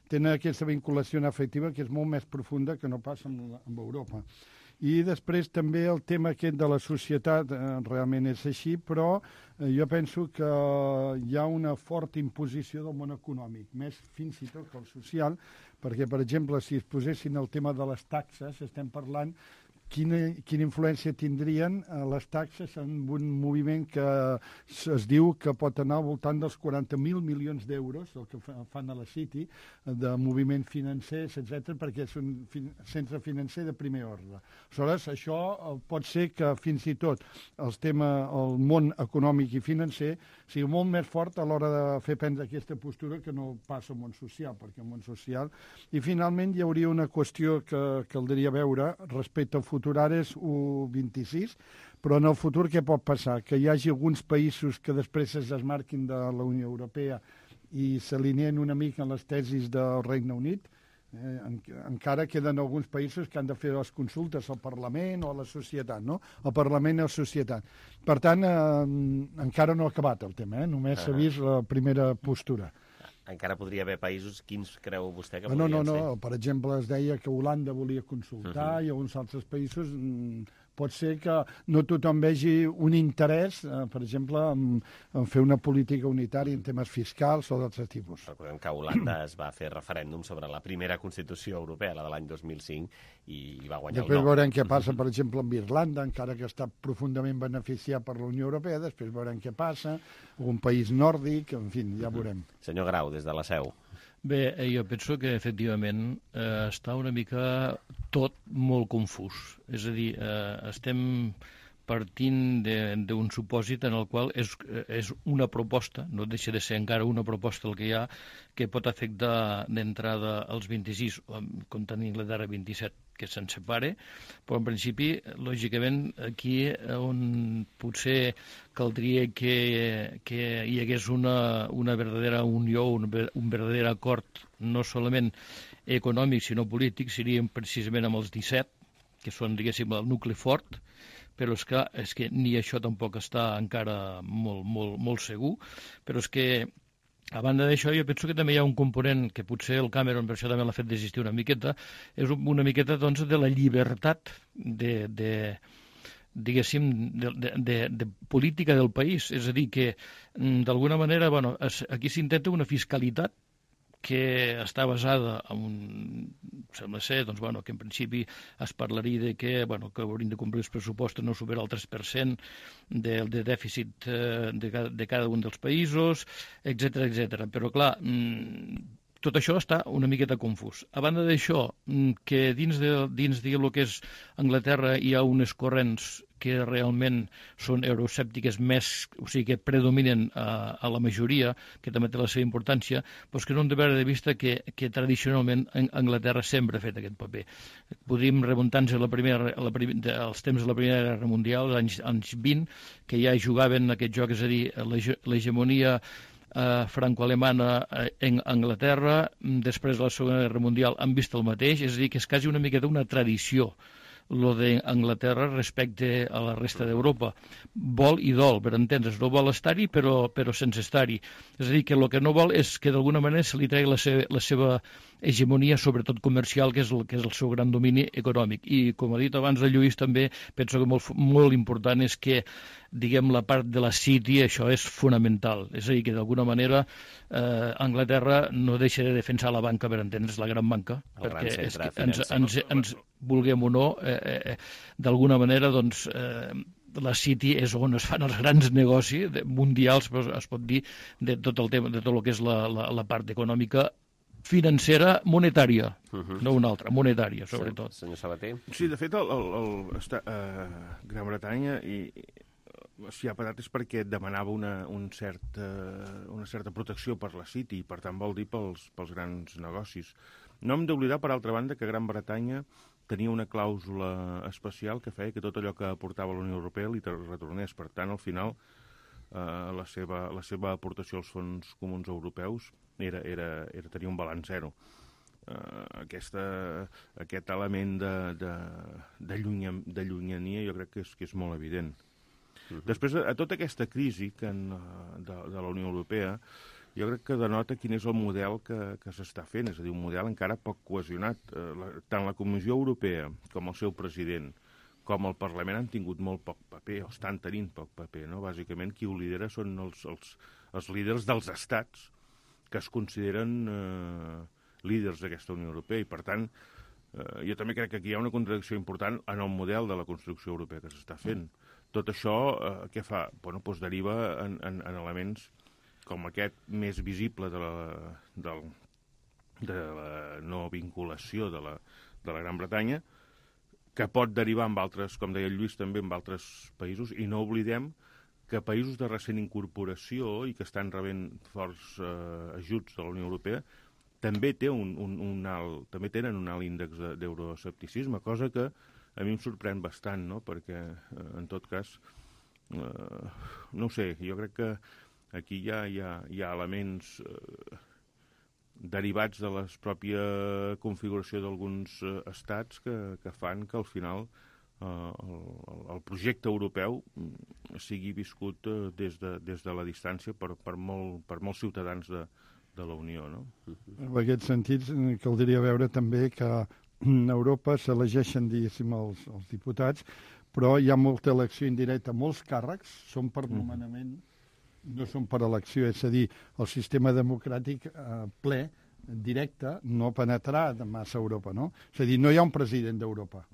Tenen aquesta vinculació afectiva que és molt més profunda que no passa amb Europa. I després també el tema aquest de la societat realment és així, però jo penso que hi ha una forta imposició del món econòmic, més fins i tot que el social, perquè, per exemple, si es posessin el tema de les taxes, estem parlant quina influència tindrien les taxes en un moviment que es diu que pot anar al voltant dels 40.000 milions d'euros, el que fan a la City, de moviments financers, etc., perquè és un centre financer de primer ordre. Aleshores, això pot ser que fins i tot el món econòmic i financer sigui molt més fort a l'hora de fer prendre aquesta postura que no passa al món social, perquè el món social... I finalment hi hauria una qüestió que caldria veure respecte al futur, ara és 1,26, però en el futur què pot passar? Que hi hagi alguns països que després es desmarquin de la Unió Europea i s'alineen una mica en les tesis del Regne Unit. Encara queden alguns països que han de fer les consultes al Parlament o a la societat, no? Al Parlament i a la societat. Per tant, encara no ha acabat el tema, només s'ha vist la primera postura. Encara podria haver països, quins creu vostè que podrien ser? No. Per exemple, es deia que Holanda volia consultar i alguns altres països pot ser que no tothom vegi un interès, per exemple, en fer una política unitària en temes fiscals o d'altres tipus. Recordem que Holanda es va fer referèndum sobre la primera Constitució Europea, la de l'any 2005, i va guanyar Després el no. veurem què passa, per exemple, amb Irlanda, encara que està profundament beneficiat per la Unió Europea, després veurem què passa, un país nòrdic, en fi, ja veurem. Senyor Grau, des de la Seu. Bé, jo penso que efectivament està una mica tot molt confús. És a dir, estem partint d'un supòsit en el qual és una proposta, no deixa de ser encara una proposta el que hi ha, que pot afectar d'entrada als 26, com tenir Anglaterra 27, que se'n separe, però en principi, lògicament, aquí on potser caldria que hi hagués una verdadera unió, un verdader acord, no solament econòmic, sinó polític, serien precisament amb els 17, que són, diguéssim, el nucli fort, però és que ni això tampoc està encara molt segur, però és que a banda d'això, jo penso que també hi ha un component que potser el Cameron, per això també l'ha fet desistir una miqueta, és una miqueta, doncs, de la llibertat diguéssim, de política del país. És a dir, que d'alguna manera, bueno, aquí s'intenta una fiscalitat que està basada en sembla ser, doncs, bueno, que en principi es parlaria de que haurien de complir els pressupostos no superar el 3% de dèficit de cada un dels països, etc. Però, clar, tot això està una miqueta confús. A banda d'això, que dins del que és Anglaterra hi ha unes corrents que realment són euroescèptiques més, o sigui, que predominen a la majoria, que també té la seva importància, doncs que no hem de perdre de vista que tradicionalment Anglaterra sempre ha fet aquest paper. Podríem remuntar-nos als temps de la Primera Guerra Mundial, als anys 20, que ja jugaven aquest joc, és a dir, l'hegemonia franco-alemana en Anglaterra, després de la Segona Guerra Mundial han vist el mateix, és a dir, que és quasi una miqueta una tradició lo d'Anglaterra respecte a la resta d'Europa. Vol i dol, per entendre's. No vol estar-hi, però sense estar-hi. És a dir, que el que no vol és que d'alguna manera se li tregui la seva hegemonia, sobretot comercial, que és el seu gran domini econòmic. I, com ha dit abans el Lluís, també penso que molt important és que, diguem, la part de la City, això és fonamental. És a dir, que d'alguna manera Anglaterra no deixa de defensar la banca, per entendre's, la gran banca, perquè és que ens vulguem o no, d'alguna manera, doncs, la City és on es fan els grans negocis mundials, es pot dir, de tot el tema, de tot el que és la part econòmica, financera, monetària, no una altra, monetària, sobretot. Senyor Sabater? Sí, de fet, Gran Bretanya s'hi ha parat és perquè demanava una certa protecció per la City, i per tant vol dir pels grans negocis. No hem d'oblidar, per altra banda, que Gran Bretanya tenia una clàusula especial que feia que tot allò que aportava la Unió Europea li retornés. Per tant, al final, la seva aportació als fons comuns europeus era tenir un balanç zero. Aquest element de llunyania jo crec que és molt evident. Després, a tota aquesta crisi de la Unió Europea, jo crec que denota quin és el model que s'està fent, és a dir, un model encara poc cohesionat. Tant la Comissió Europea com el seu president, com el Parlament han tingut molt poc paper, o estan tenint poc paper, no? Bàsicament, qui ho lidera són els líders dels estats que es consideren líders d'aquesta Unió Europea, i per tant, jo també crec que aquí hi ha una contradicció important en el model de la construcció europea que s'està fent. Tot això, què fa? Bueno, doncs deriva en elements com aquest més visible de la no vinculació de la Gran Bretanya, que pot derivar en altres, com deia el Lluís, també en altres països, i no oblidem que països de recent incorporació i que estan rebent forts ajuts de la Unió Europea també tenen un alt índex d'euroescepticisme, cosa que a mi em sorprèn bastant, no? Perquè, en tot cas, no ho sé, jo crec que aquí hi ha elements derivats de la pròpia configuració d'alguns estats que fan que al final el projecte europeu sigui viscut des de la distància per molts ciutadans de la Unió, no? En aquest sentit, caldria veure també que a Europa s'elegeixen, diguéssim, els diputats però hi ha molta elecció indirecta. Molts càrrecs són per nomenament, no són per elecció, és a dir, el sistema democràtic ple, directe, no penetrarà massa a Europa, no? És a dir, no hi ha un president d'Europa.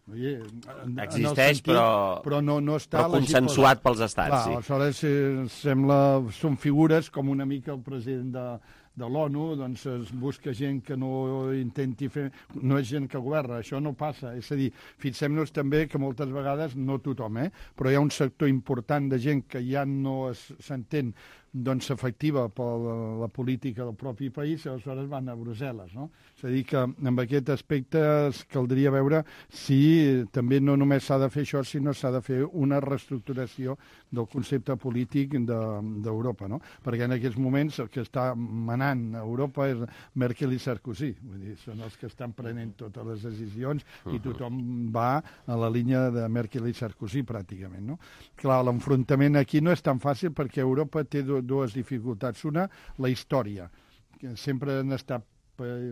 Existeix, però no està però consensuat pels estats. Clar, aleshores són figures com una mica el president de l'ONU, doncs es busca gent que no intenti fer... No és gent que governa, això no passa. És a dir, fixem-nos també que moltes vegades, no tothom, però hi ha un sector important de gent que ja no s'entén efectiva per la política del propi país, i aleshores van a Brussel·les, no? És a dir, que amb aquest aspecte caldria veure si també no només s'ha de fer això, sinó s'ha de fer una reestructuració del concepte polític d'Europa, no? Perquè en aquests moments el que està manant a Europa és Merkel i Sarkozy, vull dir, són els que estan prenent totes les decisions i tothom va a la línia de Merkel i Sarkozy pràcticament, no? Clar, l'enfrontament aquí no és tan fàcil perquè Europa té dues dificultats. Una, la història, que sempre han estat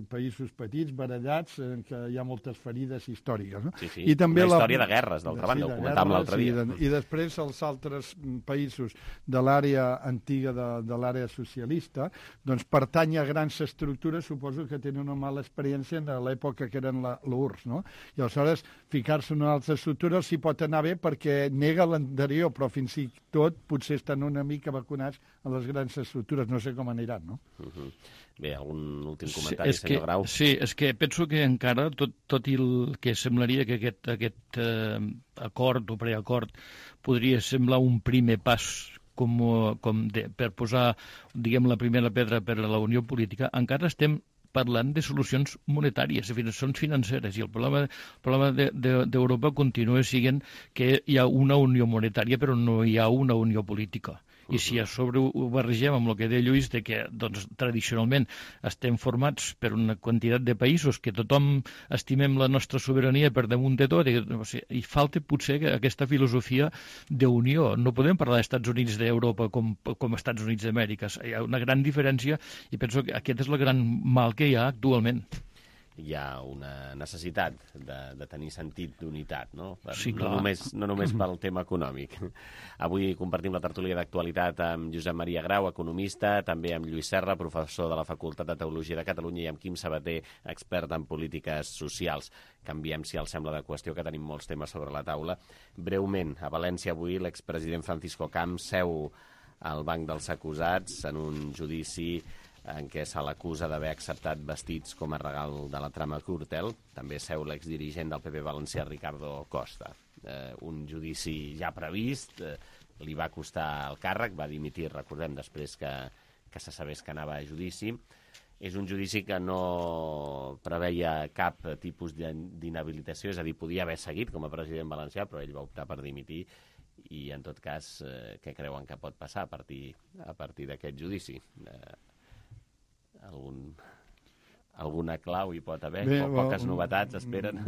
països petits, barallats, en què hi ha moltes ferides històriques. No? Sí, sí. I també una història de guerres, d'altra banda, ho comentàvem l'altre dia. I després els altres països de l'àrea antiga, de l'àrea socialista, doncs pertany a grans estructures, suposo que tenen una mala experiència en l'època que eren l'URSS, no? I aleshores ficar-se en una altra estructura els hi pot anar bé perquè nega l'anterior, però fins i tot potser estan una mica vacunats a les grans estructures, no sé com aniran, no? Bé, algun últim comentari, senyor Grau? Sí, és que penso que encara, tot i el que semblaria que aquest acord o preacord podria semblar un primer pas per posar, diguem, la primera pedra per a la unió política, encara estem parlant de solucions monetàries, són financeres, i el problema d'Europa continua sent que hi ha una unió monetària però no hi ha una unió política. I si a sobre ho barregem amb el que deia Lluís, de que doncs, tradicionalment estem formats per una quantitat de països que tothom estimem la nostra sobirania per damunt de tot, i falta potser aquesta filosofia d'unió. No podem parlar d'Estats Units d'Europa com Estats Units d'Amèrica. Hi ha una gran diferència i penso que aquest és el gran mal que hi ha actualment. Hi ha una necessitat de tenir sentit d'unitat, no? Sí, clar. No només pel tema econòmic. Avui compartim la tertúlia d'actualitat amb Josep Maria Grau, economista, també amb Lluís Serra, professor de la Facultat de Teologia de Catalunya, i amb Quim Sabater, expert en polítiques socials. Canviem, si els sembla, de qüestió, que tenim molts temes sobre la taula. Breument, a València avui l'expresident Francisco Camps seu al banc dels acusats en un judici en què se l'acusa d'haver acceptat vestits com a regal de la trama Gürtel. També seu l'exdirigent del PP valencià, Ricardo Costa. Un judici ja previst, li va costar el càrrec, va dimitir, recordem, després que se sabés que anava a judici. És un judici que no preveia cap tipus d'inhabilitació, és a dir, podia haver seguit com a president valencià, però ell va optar per dimitir. I, en tot cas, què creuen que pot passar a partir d'aquest judici? Alguna clau hi pot haver? Poques novetats esperen?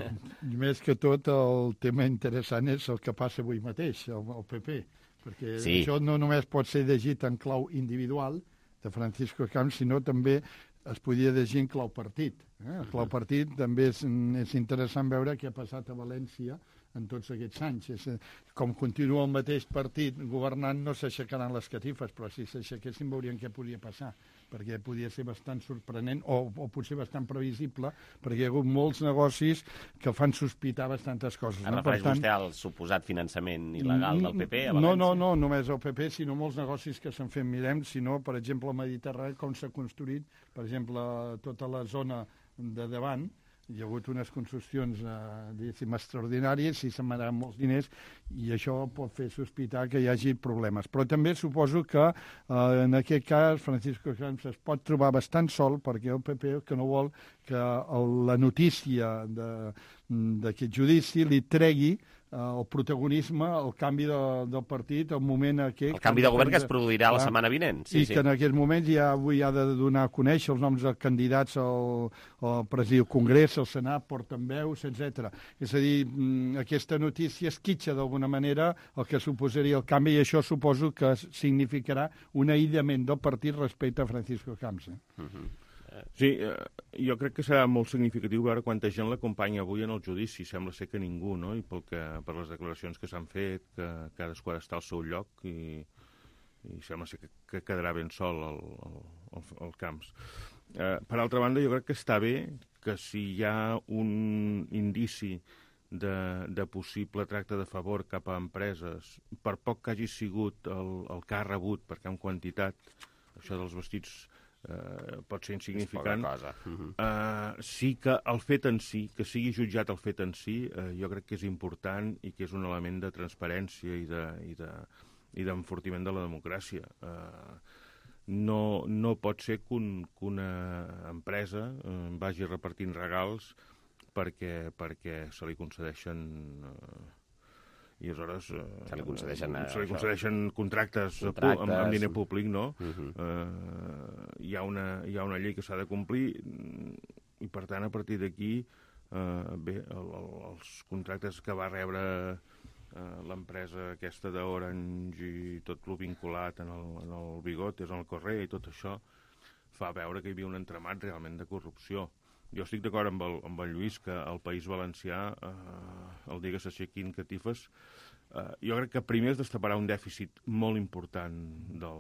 Més que tot, el tema interessant és el que passa avui mateix, el PP, perquè això no només pot ser llegit en clau individual de Francisco Camps, sinó també es podia llegir en clau partit. El clau partit també és interessant veure què ha passat a València en tots aquests anys. Com continua el mateix partit governant, no s'aixecaran les catifes, però si s'aixequessin veurien què podria passar, perquè podia ser bastant sorprenent o potser bastant previsible, perquè hi ha hagut molts negocis que fan sospitar bastantes coses. Es refereix vostè al suposat finançament il·legal del PP a València? No només el PP, sinó molts negocis que s'han fet. Mirem, sinó, per exemple, al Mediterrani, com s'ha construït, per exemple, tota la zona de davant. Hi ha hagut unes construccions, diguéssim, extraordinàries, i se'n van molts diners, i això pot fer sospitar que hi hagi problemes. Però també suposo que, en aquest cas, Francisco Camps es pot trobar bastant sol, perquè el PP que no vol que la notícia d'aquest judici li tregui el protagonisme, el canvi del partit, el moment aquest... El canvi de govern que es produirà la setmana vinent. I que en aquests moments ja avui ha de donar a conèixer els noms dels candidats al Congrés, al Senat, portaveus, etc. És a dir, aquesta notícia esquitxa d'alguna manera el que suposaria el canvi, i això suposo que significarà un aïllament del partit respecte a Francisco Camps. Sí, jo crec que serà molt significatiu veure quanta gent l'acompanya avui en el judici. Sembla ser que ningú, no? I per les declaracions que s'han fet, que cadascú ha d'estar al seu lloc i sembla ser que quedarà ben sol el Camps. Per altra banda, jo crec que està bé que si hi ha un indici de possible tracte de favor cap a empreses, per poc que hagi sigut el que ha rebut, perquè en quantitat, això dels vestits pot ser insignificant, sí que el fet en si, que sigui jutjat el fet en si, jo crec que és important i que és un element de transparència i d'enfortiment de la democràcia. No pot ser que una empresa vagi repartint regals perquè se li concedeixen i aleshores se li concedeixen contractes amb diner públic, no? Hi ha una llei que s'ha de complir i, per tant, a partir d'aquí, els contractes que va rebre l'empresa aquesta d'Orange i tot el vinculat en el Bigotes, en el Correo i tot això, fa veure que hi havia un entramat realment de corrupció. Jo estic d'acord amb el Lluís que el País Valencià, el dia que s'aixequin catifes, jo crec que primer es destaparà un dèficit molt important de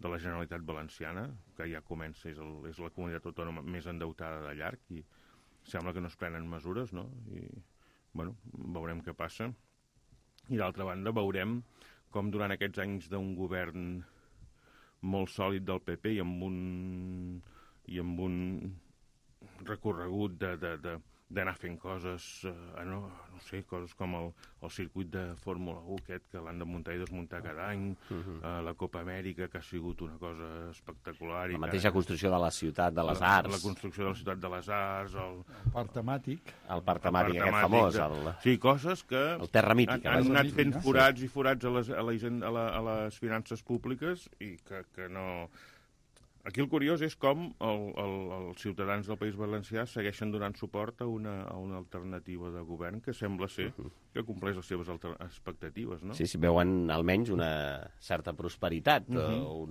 la Generalitat Valenciana, que ja comença, és la comunitat autònoma més endeutada de llarg, i sembla que no es prenen mesures, no? I, bueno, veurem què passa. I d'altra banda veurem com durant aquests anys d'un govern molt sòlid del PP i amb un recorregut d'anar fent coses, no sé, coses com el circuit de Fórmula 1 aquest que l'han de muntar i desmuntar cada any, la Copa Amèrica, que ha sigut una cosa espectacular. La mateixa construcció de la ciutat de les Arts. La construcció de la ciutat de les Arts, el parc temàtic. El parc temàtic aquest famós. Sí, coses que el Terra Mítica. Han anat fent forats i forats a les finances públiques i que no... Aquí el curiós és com els ciutadans del País Valencià segueixen donant suport a una alternativa de govern que sembla ser que compleix les seves expectatives, no? Sí, veuen almenys una certa prosperitat o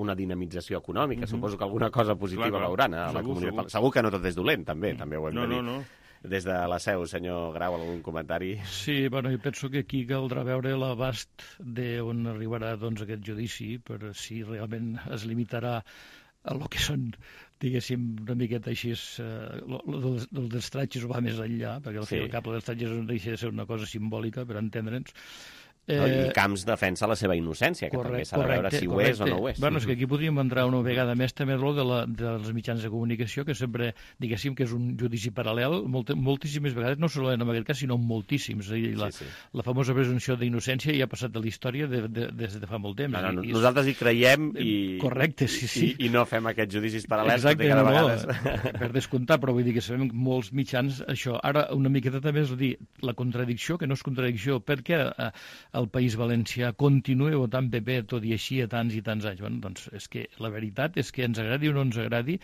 una dinamització econòmica. Suposo que alguna cosa positiva veuran a la comunitat. Segur que no tot és dolent, també ho hem de dir. No. Des de la seu, senyor Grau, algun comentari? Sí, bueno, jo penso que aquí caldrà veure l'abast d'on arribarà aquest judici, per si realment es limitarà a lo que són, diguéssim, una miqueta així, el dels tratges va més enllà, perquè al fi i al cap dels tratges no deixa de ser una cosa simbòlica, per entendre'ns. I Camps defensa la seva innocència, que també s'ha de veure si ho és o no ho és. Bueno, és que aquí podríem entrar una vegada més també dels mitjans de comunicació, que sempre, diguéssim, que és un judici paral·lel, moltíssimes vegades, no solament en aquest cas, sinó moltíssims. La famosa presumpció d'innocència ja ha passat de la història des de fa molt temps. Nosaltres hi creiem correcte, sí. I no fem aquests judicis paral·lels. Exacte, per descomptar, però vull dir que sabem molts mitjans això. Ara, una miqueta també és dir, la contradicció, que no és contradicció, perquè el País Valencià continua votant PP tot i així a tants i tants anys. Bueno, doncs és que la veritat és que ens agradi o no ens agradi,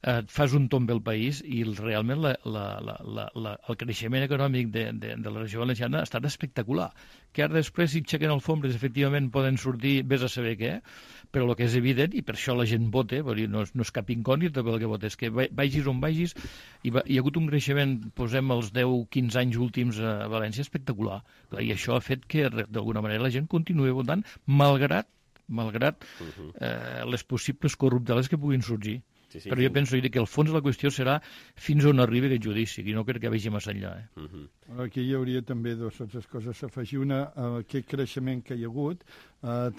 fas un tomb al país i realment el creixement econòmic de la regió valenciana ha estat espectacular. Que ara després, si aixequen alfombres, efectivament poden sortir, vés a saber què, però el que és evident, i per això la gent vota, no és cap incògnita pel que vota, és que vagis on vagis, hi ha hagut un creixement, posem els 10-15 anys últims a València, espectacular. I això ha fet que, d'alguna manera, la gent continuï votant, malgrat les possibles corrupteles que puguin sorgir. Però jo penso que el fons de la qüestió serà fins on arribi aquest judici, i no crec que vagi massa enllà. Aquí hi hauria també dues altres coses a afegir. Una, aquest creixement que hi ha hagut,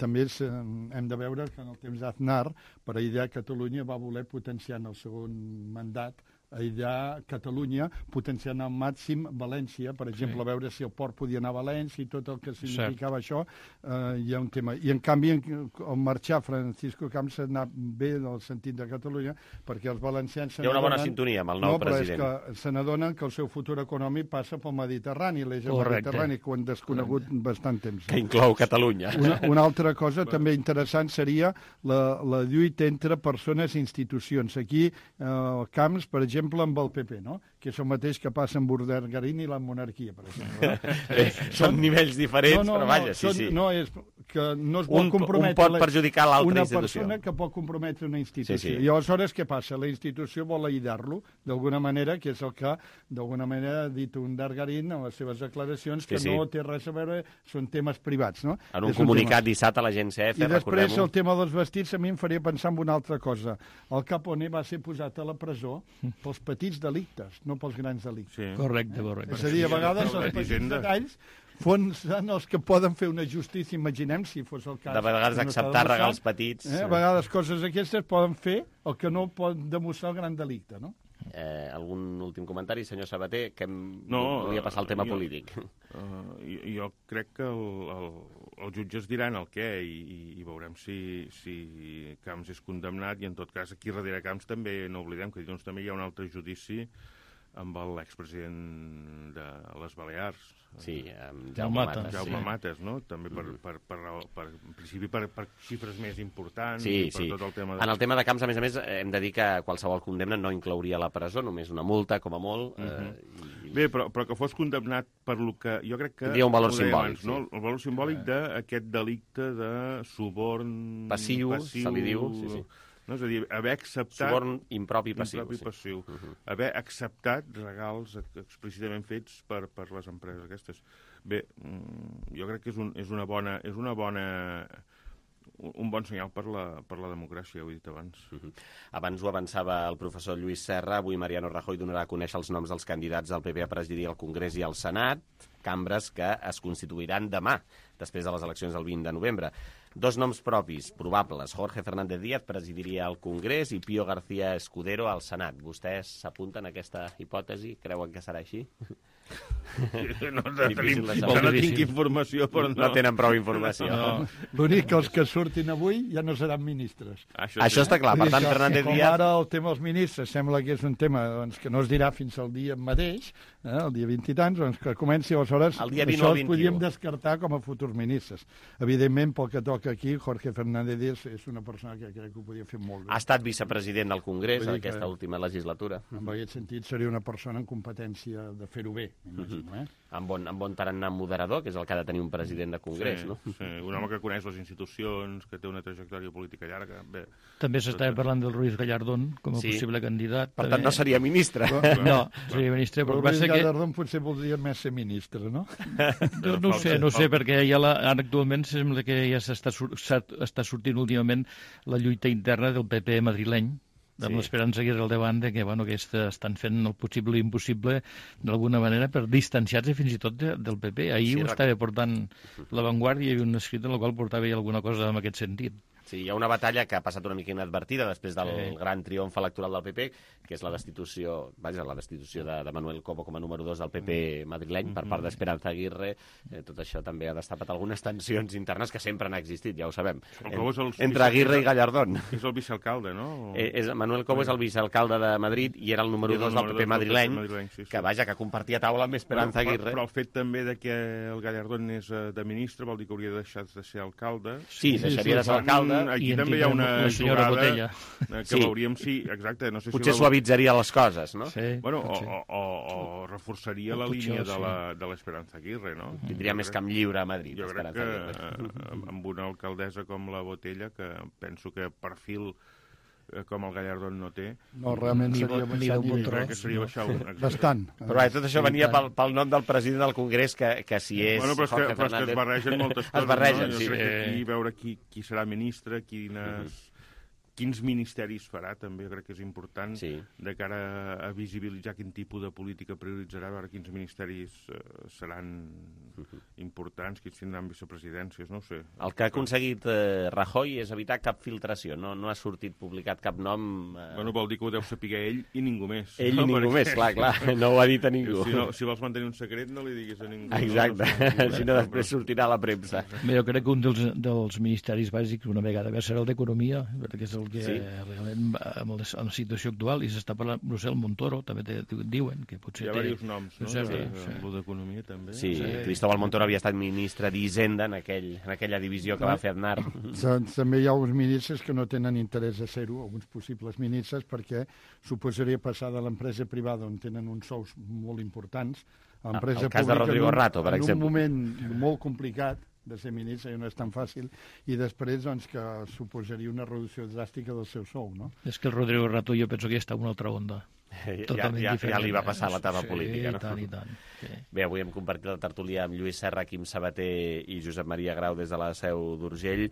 també hem de veure que en el temps d'Aznar, per aïllar Catalunya, va voler potenciar en el segon mandat aïllar Catalunya, potenciant al màxim València, per exemple, veure si el port podia anar a València i tot el que significava això, hi ha un tema. I en canvi, al marxar Francisco Camps s'ha anat bé en el sentit de Catalunya, perquè els valencians... Hi ha una bona sintonia amb el nou president. No, però és que se n'adonen que el seu futur econòmic passa pel Mediterrani, l'eix mediterrani, que ho han desconegut bastant temps. Que inclou Catalunya. Una altra cosa també interessant seria la lluita entre persones i institucions. Aquí, Camps, per exemple, amb el PP, no? que és el mateix que passa amb Urdangarín i la monarquia, per exemple. Són nivells diferents, però vaja, sí. No, és que no es vol comprometre... Un pot perjudicar l'altra institució. Una persona que pot comprometre una institució. Sí. I aleshores què passa? La institució vol aïllar-lo, d'alguna manera, que és el que, d'alguna manera, ha dit Urdangarín en les seves declaracions, que no té res a veure, són temes privats, no? En un comunicat dissabte a l'agència EFE, recordem-ho. I després el tema dels vestits a mi em faria pensar en una altra cosa. El Capone va ser posat a la presó pels petits delictes, no pels grans delictes. Sí. Correcte. És a dir, a vegades els petits detalls són els que poden fer una justícia, imaginem, si fos el cas. De vegades acceptar regals petits. A vegades coses aquestes poden fer el que no pot demostrar el gran delicte, no? Algun últim comentari, senyor Sabater, que volia passar al tema polític. Jo crec que els jutges diran el què i veurem si Camps és condemnat, i en tot cas aquí darrere Camps també no oblidem que dilluns també hi ha un altre judici amb l'expresident de les Balears. Sí, Jaume Matas, no? També en principi per xifres més importants. Sí. Tot el tema en el tema de Camps, a més, hem de dir que qualsevol condemna no inclouria la presó, només una multa, com a molt. Bé, però que fos condemnat per lo que... Jo crec que... Tindria un valor simbòlic. No? El valor simbòlic d'aquest delicte de suborn... Passiu, se li diu. Sí. No? És a dir, haver acceptat... Suborn impropi passiu. Haver acceptat regals explícitament fets per les empreses aquestes. Bé, jo crec que és un bon senyal per la democràcia, ho he dit abans. Abans ho avançava el professor Lluís Serra. Avui Mariano Rajoy donarà a conèixer els noms dels candidats del PP a presidir el Congrés i el Senat, cambres que es constituiran demà, després de les eleccions del 20 de novembre. 2 noms propis, probables. Jorge Fernández Díaz presidiria el Congrés i Pío García Escudero al Senat. Vostès s'apunten a aquesta hipòtesi? Creuen que serà així? No tinc informació, però no. No tenen prou informació. L'únic que els que surtin avui ja no seran ministres. Això està clar. Per tant, Fernández Díaz... Com ara el tema dels ministres sembla que és un tema que no es dirà fins al dia mateix, el dia 20 i tants, doncs que comenci aleshores... Això els podíem descartar com a futurs ministres. Evidentment, pel que toca aquí, Jorge Fernández Díaz és una persona que crec que ho podia fer molt bé. Ha estat vicepresident del Congrés en aquesta última legislatura. En aquest sentit, seria una persona en competència de fer-ho bé, m'imagino. Amb bon tarannà moderador, que és el que ha de tenir un president de Congrés, no? Sí, un home que coneix les institucions, que té una trajectòria política llarga. Bé, també s'estava parlant del Ruiz Gallardón com a possible candidat. Per tant, no seria ministre. No, seria ministre. Però Ruiz Gallardón potser voldria més ser ministre, no? No sé, perquè actualment sembla que ja està sortint últimament la lluita interna del PP madrileny, amb l'Esperanza Aguirre al davant que estan fent el possible i impossible d'alguna manera per distanciar-se fins i tot del PP. Ahir ho estava portant La Vanguardia, hi havia un escrit en el qual portava alguna cosa en aquest sentit. Sí, hi ha una batalla que ha passat una mica inadvertida després del gran triomf electoral del PP, que és la destitució de Manuel Cobo com a número 2 del PP madrileny per part d'Esperanza Aguirre. Tot això també ha destapat algunes tensions internes que sempre han existit, ja ho sabem, entre Aguirre i Gallardón. És el vicealcalde, no? Manuel Cobo és el vicealcalde de Madrid i era el número 2 del PP madrileny, que que compartia taula amb Esperanza Aguirre. Però el fet també de que el Gallardón és de ministre vol dir que hauria de deixar de ser alcalde. Sí, deixaria de ser alcalde. Aquí també hi ha una jugada que veuríem, exacte. No sé potser suavitzaria les coses, no? Bueno, o reforçaria la línia de l'Esperanza Aguirre, no? Tindria més camp lliure a Madrid. Jo crec que amb una alcaldessa com la Botella, que penso que perfil com el Gallardón no té. No, realment seria baixar un. Bastant. Però tot això venia pel nom del president del Congrés, que si és Jorge Fernández... Però és que es barregen moltes coses. Es barregen, sí. Jo crec que aquí veure qui serà ministre, quins ministeris farà, també crec que és important de cara a visibilitzar quin tipus de política prioritzarà, veure quins ministeris seran importants, quins tindran vicepresidències, no ho sé. El que ha aconseguit Rajoy és evitar cap filtració, no ha sortit publicat cap nom... Bueno, vol dir que ho deu saber ell i ningú més. Ell i ningú més, clar, no ho ha dit a ningú. Si vols mantenir un secret, no li diguis a ningú. Exacte, si no després sortirà a la premsa. Jo crec que un dels ministeris bàsics una vegada serà el d'Economia, perquè és el que realment amb la situació actual, i s'està parlant, Brussel Montoro, també diuen que potser hi ha diversos noms, no? Sí. D'economia també. Sí, Cristóbal Montoro havia estat ministre d'Hisenda en aquella divisió que va fer Aznar. També hi ha alguns ministres que no tenen interès a ser-ho, alguns possibles ministres, perquè suposaria passar de l'empresa privada on tenen uns sous molt importants a l'empresa pública. El cas de Rodrigo Rato, per exemple. En un moment molt complicat de ser ministre, i no és tan fàcil, i després doncs, que suposaria una reducció dràstica del seu sou, no? És que el Rodrigo Rato jo penso que ja està en una altra onda. Ja li va passar l'etapa política, no? I tant. Sí. Bé, avui hem compartit la tertúlia amb Lluís Serra, Quim Sabater i Josep Maria Grau des de la Seu d'Urgell.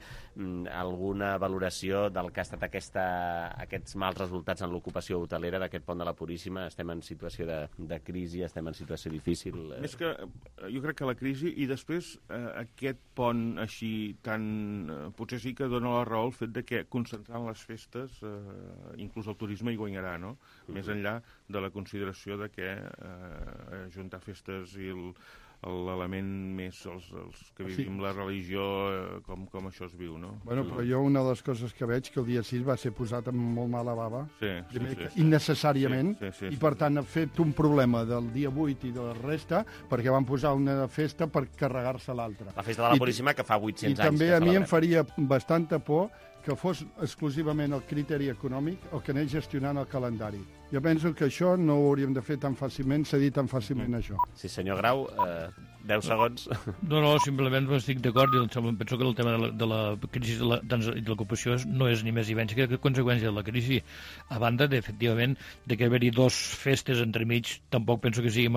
Alguna valoració del que ha estat aquests mals resultats en l'ocupació hotelera d'aquest pont de la Puríssima? Estem en situació de crisi, estem en situació difícil? Més que, jo crec que la crisi, i després aquest pont així tan... potser sí que dona la raó el fet de que concentrant les festes, inclús el turisme hi guanyarà, no? Més enllà de la consideració de que ajuntar festes i l'element més els que vivim la religió, com això es viu, no? Bueno, però jo una de les coses que veig que el dia 6 va ser posat amb molt mala bava, sí. innecessàriament, sí. I per tant ha fet un problema del dia 8 i de la resta perquè van posar una festa per carregar-se l'altra. La festa de la Puríssima que fa 800 anys. I també a mi em faria bastanta por que fos exclusivament el criteri econòmic el que anés gestionant el calendari. Jo penso que això no ho hauríem de fer tan fàcilment, cedir tan fàcilment això. Sí, senyor Grau, 10 segons. No, simplement estic d'acord, i penso que el tema de la crisi de l'ocupació no és ni més ni menys que conseqüència de la crisi. A banda, efectivament, de que haver-hi 2 festes entremig, tampoc penso que sigui